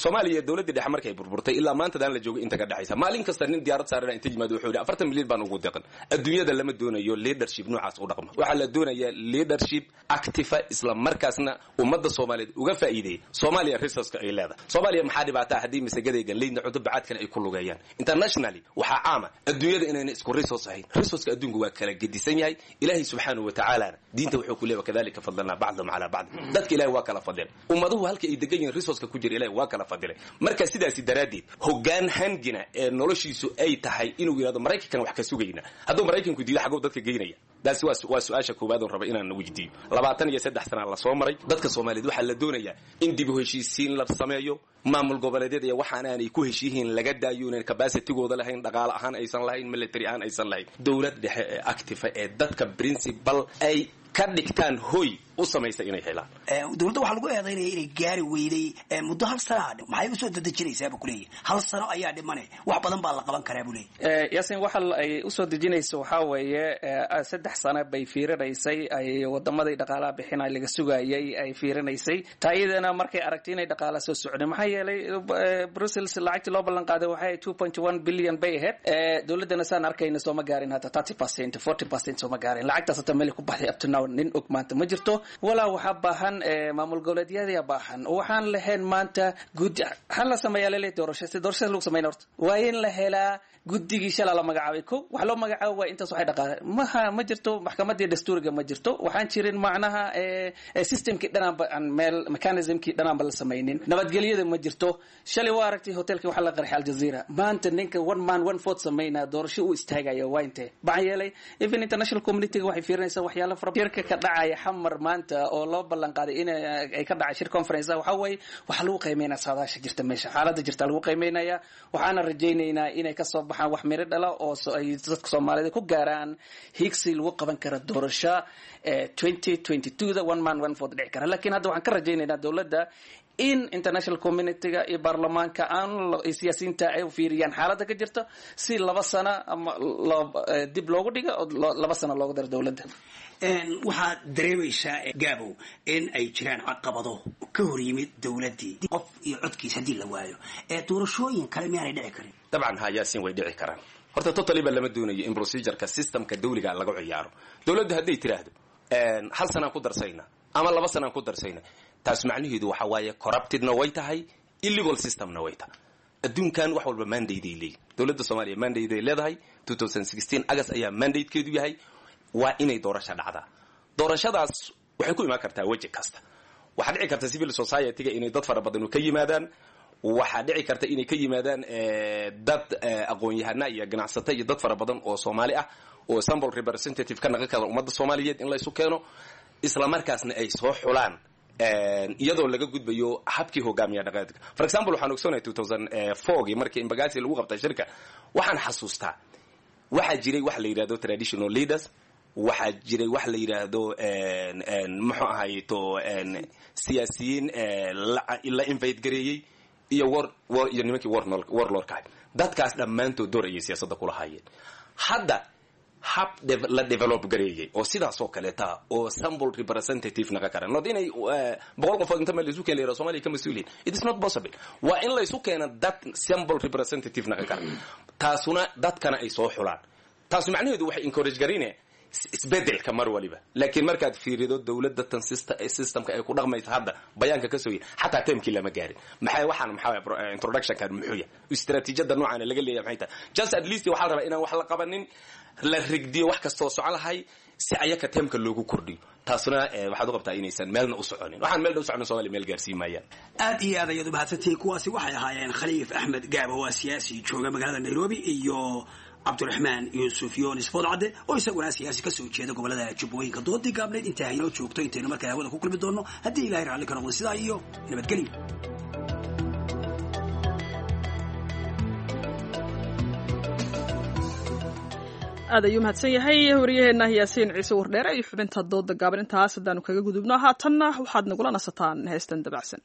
[SPEAKER 13] Soomaaliya dowladdii dhexe markay burburtay ilaa maantadaan la joogay inta ka dhexaysa, maalin kasta nin diyaarad saarana inta yimaado wuxuu yidhi 40 milyan baan ugu deqan. Adduunyada lama doonayo leadership noocaas u dhaqma. Waxaa la doonayaa leadership active, isla markaasna ummadda Soomaaliyeed uga faa'iideeyay Soomaaliya resourceka ay leedahay. Soomaaliya maxaa dhibaataa haddii masagadayga galeydna cunto bacaadkana ay ku lugeeyaan? Internationally waxaa caama adduunyada inayna isku resource ahayn. Resourceka adduunku waa kala gedisan yahay. Ilaahay subxaanahu wa tacaalana diinta wuxuu ku leeyahay wakadalika fadlanaa bacdahum calaa bacd. Dadka Ilaahay waa kala fadilay, ummaduhu halka ay degan yihiin resourceka ku jira Ilaahay waa kala fadilay. Marka sidaasi daraaddeed hoggaan hangina ee noloshiisu ay tahay inuu yidhahdo Maraykankan wax ka sugayna, hadduu Maraykanku diido xaguu dadka geynaya? Taasi waa su-aasha koowaad oon raba inaan weydiiyo. 23 sana lasoo maray. Dadka Soomaaliyeed waxaa la doonayaa in dib u heshiisiin la sameeyo, maamul goboleedyada iyo waxaan aanay ku heshiihiin laga daayo, inaan capacitigooda lahayn, dhaqaale ahaan aysan lahayn, military ahaan aysan lahayn, dowlad dhexe ee active ee dadka principal ay ka dhigtaan hoy u samaysa inay helaan.
[SPEAKER 9] Dowladda waxaa lagu eedaynaya inay gaari weyday muddo hal sanaa. Maxay usoo dedejinaysaa buu kuleeyahy? Hal sano ayaa dhimane, wax badan baa la qaban karaa buu leeyahy.
[SPEAKER 14] Yasin, waxa ay usoo dejinayso waxaa weeye 3 sano bay fiirinaysay, ay wadamaday dhaqaalaha bixinay laga sugayay ay fiirinaysay. Taa iyadana markay aragtay inay dhaqaala soo socday, maxaa yeelay Brussels lacagtii loo ballan qaaday waxay 2.1 billion bay ahayd. Dowladdana saan arkayna sooma gaarin hata 30%, 40% sooma gaarin. Lacagtaas hata meel ku baxday up to now nin og maanta ma jirto. Walaa waxaa baahan maamul goboleedyada baahan. Waxaan lahayn maanta guddi waxaan la sameeyaa lele doorasho. Si doorashada lagu sameyn horta waa in la helaa guddigii shalaa la magacaabay. Ko wax loo magacaabo waa intaas waxay dhaqaale maha ma jirto, maxkamadii dastuuriga ma jirto, waxaan jirin macnaha systemkii dhanaanba aan meel mechanismkii dhanaanba la samaynin, nabadgelyada ma jirto. Shalay waa aragtay hotelkii waxaa la qarxay Aljazeera. Maanta ninka one man one vote sameynaa doorasho uu istaagaya waa intee? Maxaa yeelay even international community waxay fiirinaysaa waxyaalo fara. Shirka ka dhacaya Xamar maanta oo loo ballan qaaday in ay ka dhacay shir conference waxa weeye waxaa lagu qiimeynaa saadaasha jirta meesha, xaaladda jirta lagu qiimeynaya. Waxaana rajaynaynaa inay kasoo baxaan wax miro dhala oo ay dadka Soomaalida ku gaaraan higsi lagu qaban kara doorasho 2022 da one man one vote dhici kara. Laakiin hadda waxaan ka rajaynaynaa dowladda In international community-ga iyo baarlamaanka aan siyaasiyiinta ay u fiiriyaan xaaladda ka jirta si 2 sano ama dib loogu dhigo oo 2 sano loogu daro dowladda.
[SPEAKER 9] Waxaad dareemaysaa, Gaabow, in ay jiraan caqabado ka hor yimid dowladdii. Qof iyo codkiis haddii la waayo, ee doorashooyin kale miyaanay dhici karin?
[SPEAKER 13] Dabcan ha, Yaasiin, way dhici karaan. Horta totally ba lama doonayo in procedureka systemka dawliga lagu ciyaaro. Dowladdu hadday tiraahdo 1 sanaan ku darsayna ama 2 sanaan ku darsayna, taas macnaheedu waxa waaye corruptedna way tahay, illegal systemna way tahay. Adduunkan wax walba mandate ay leeyihin. Dowladda Soomaaliya mandate ay leedahay. 2016 August ayaa mandatekeedu yahay. Waa inay doorasho dhacdaa. Doorashadaas waxay ku imaan kartaa weji kasta. Waxaa dhici karta civil society-ga inay dad fara badan ka yimaadaan. Waxaa dhici karta inay ka yimaadaan dad aqoon-yahana iyo ganacsato iyo dad fara badan oo Soomaali ah oo sample representative ka naqon kara ummadda Soomaaliyeed in la isu keeno, isla markaasna ay soo xulaan iyadoo laga gudbayo habkii hogaamiya dhaqameedka. For example, waxaan ogsoonahay 2004gii markii Imbagasi lagu qabtay shirka, waxaan xasuustaa waxaa jiray wax la yidhahdo traditional leaders, waxaa jiray wax la yidhaahdo, muxuu ahayto, siyaasiyiin la invite gareeyey iyo war iyo nimankii warlordka ahay. Dadkaas dhammaantood door ayay siyaasadda kula haayeen. Hadda hab la develop gareeyey oo sidaas oo kaleeta oo sample representative naqa kara, not inay 100 qofood inta meel la isu keena la Soomaaliya ka mas'uuliin. It is not possible. Waa in la isu keena dad sample representative naqa kara, taasuna dadkana ay soo xulaan. Taas macnaheedu waxay encourage garine isbedelka mar waliba. Laakiin markaad fiirido dowladda tan systemka ay ku dhaqmaysa hadda, bayaanka ka soo yiri, xataa termkii lama gaarin. Maxay waxaan, maxaa introductionkan, muxuu yahay istiraatiijiyada noocan laga leeyahay? Maxay tahay? Just at least waxaa la rabaa inaan wax la qabanin, la rigdiyo wax kastoo socon lahay si ayaka termka loogu kordhiyo. Taasuna waxaad u qabtaa inaysan meelna u soconin. Waxaan meelna u soconin Soomaaliya meel gaarsiin maayaan.
[SPEAKER 9] Aad iyo aad ayaad u mahadsantihiin. Kuwaasi waxay ahaayeen Khaliif Axmed Gaabo, waa siyaasi jooga magaalada Nairobi, iyo Cabdiraxmaan Yuusuf Yoonis Foodcadde oo isaguna siyaasi kasoo jeeda gobolada Jubbooyinka. Doodii gaabneyd intaa haynoo joogto. Intaynu markaa hawada ku kulmi doonno, haddii Ilahay raalli ka noqdo, sidaa iyo nabadgelyo.
[SPEAKER 1] Aad ayuu mahadsan yahay waryaheena Yaasiin Ciise Wardheere iyo xubinta dooda gaaban. Intaas haddaanu kaga gudubno, haatanna waxaad nagula nasataan heestan dabacsan.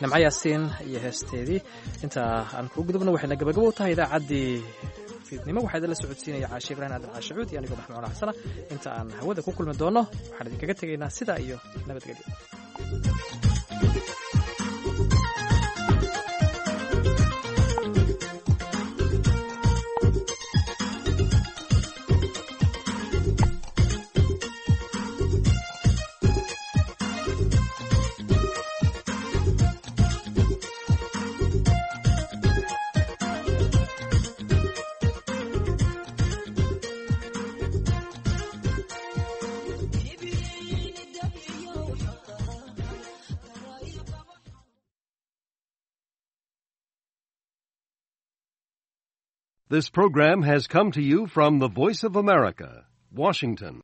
[SPEAKER 2] Nimco Yaasiin iyo heesteedii intaa aan kuu gudubno, waxayna gabagabo u tahay idaacaddii fiidnimo. Waxaa idinla socodsiinaya Caashe Ibraahim Aadan Caashacuud iyo anigoo Maxmuud Xasana. Inta aan hawada ku kulmi doonno, waxaan idinkaga tegaynaa sidaa iyo nabadgelyo.
[SPEAKER 15] This program has come to you from the Voice of America, Washington.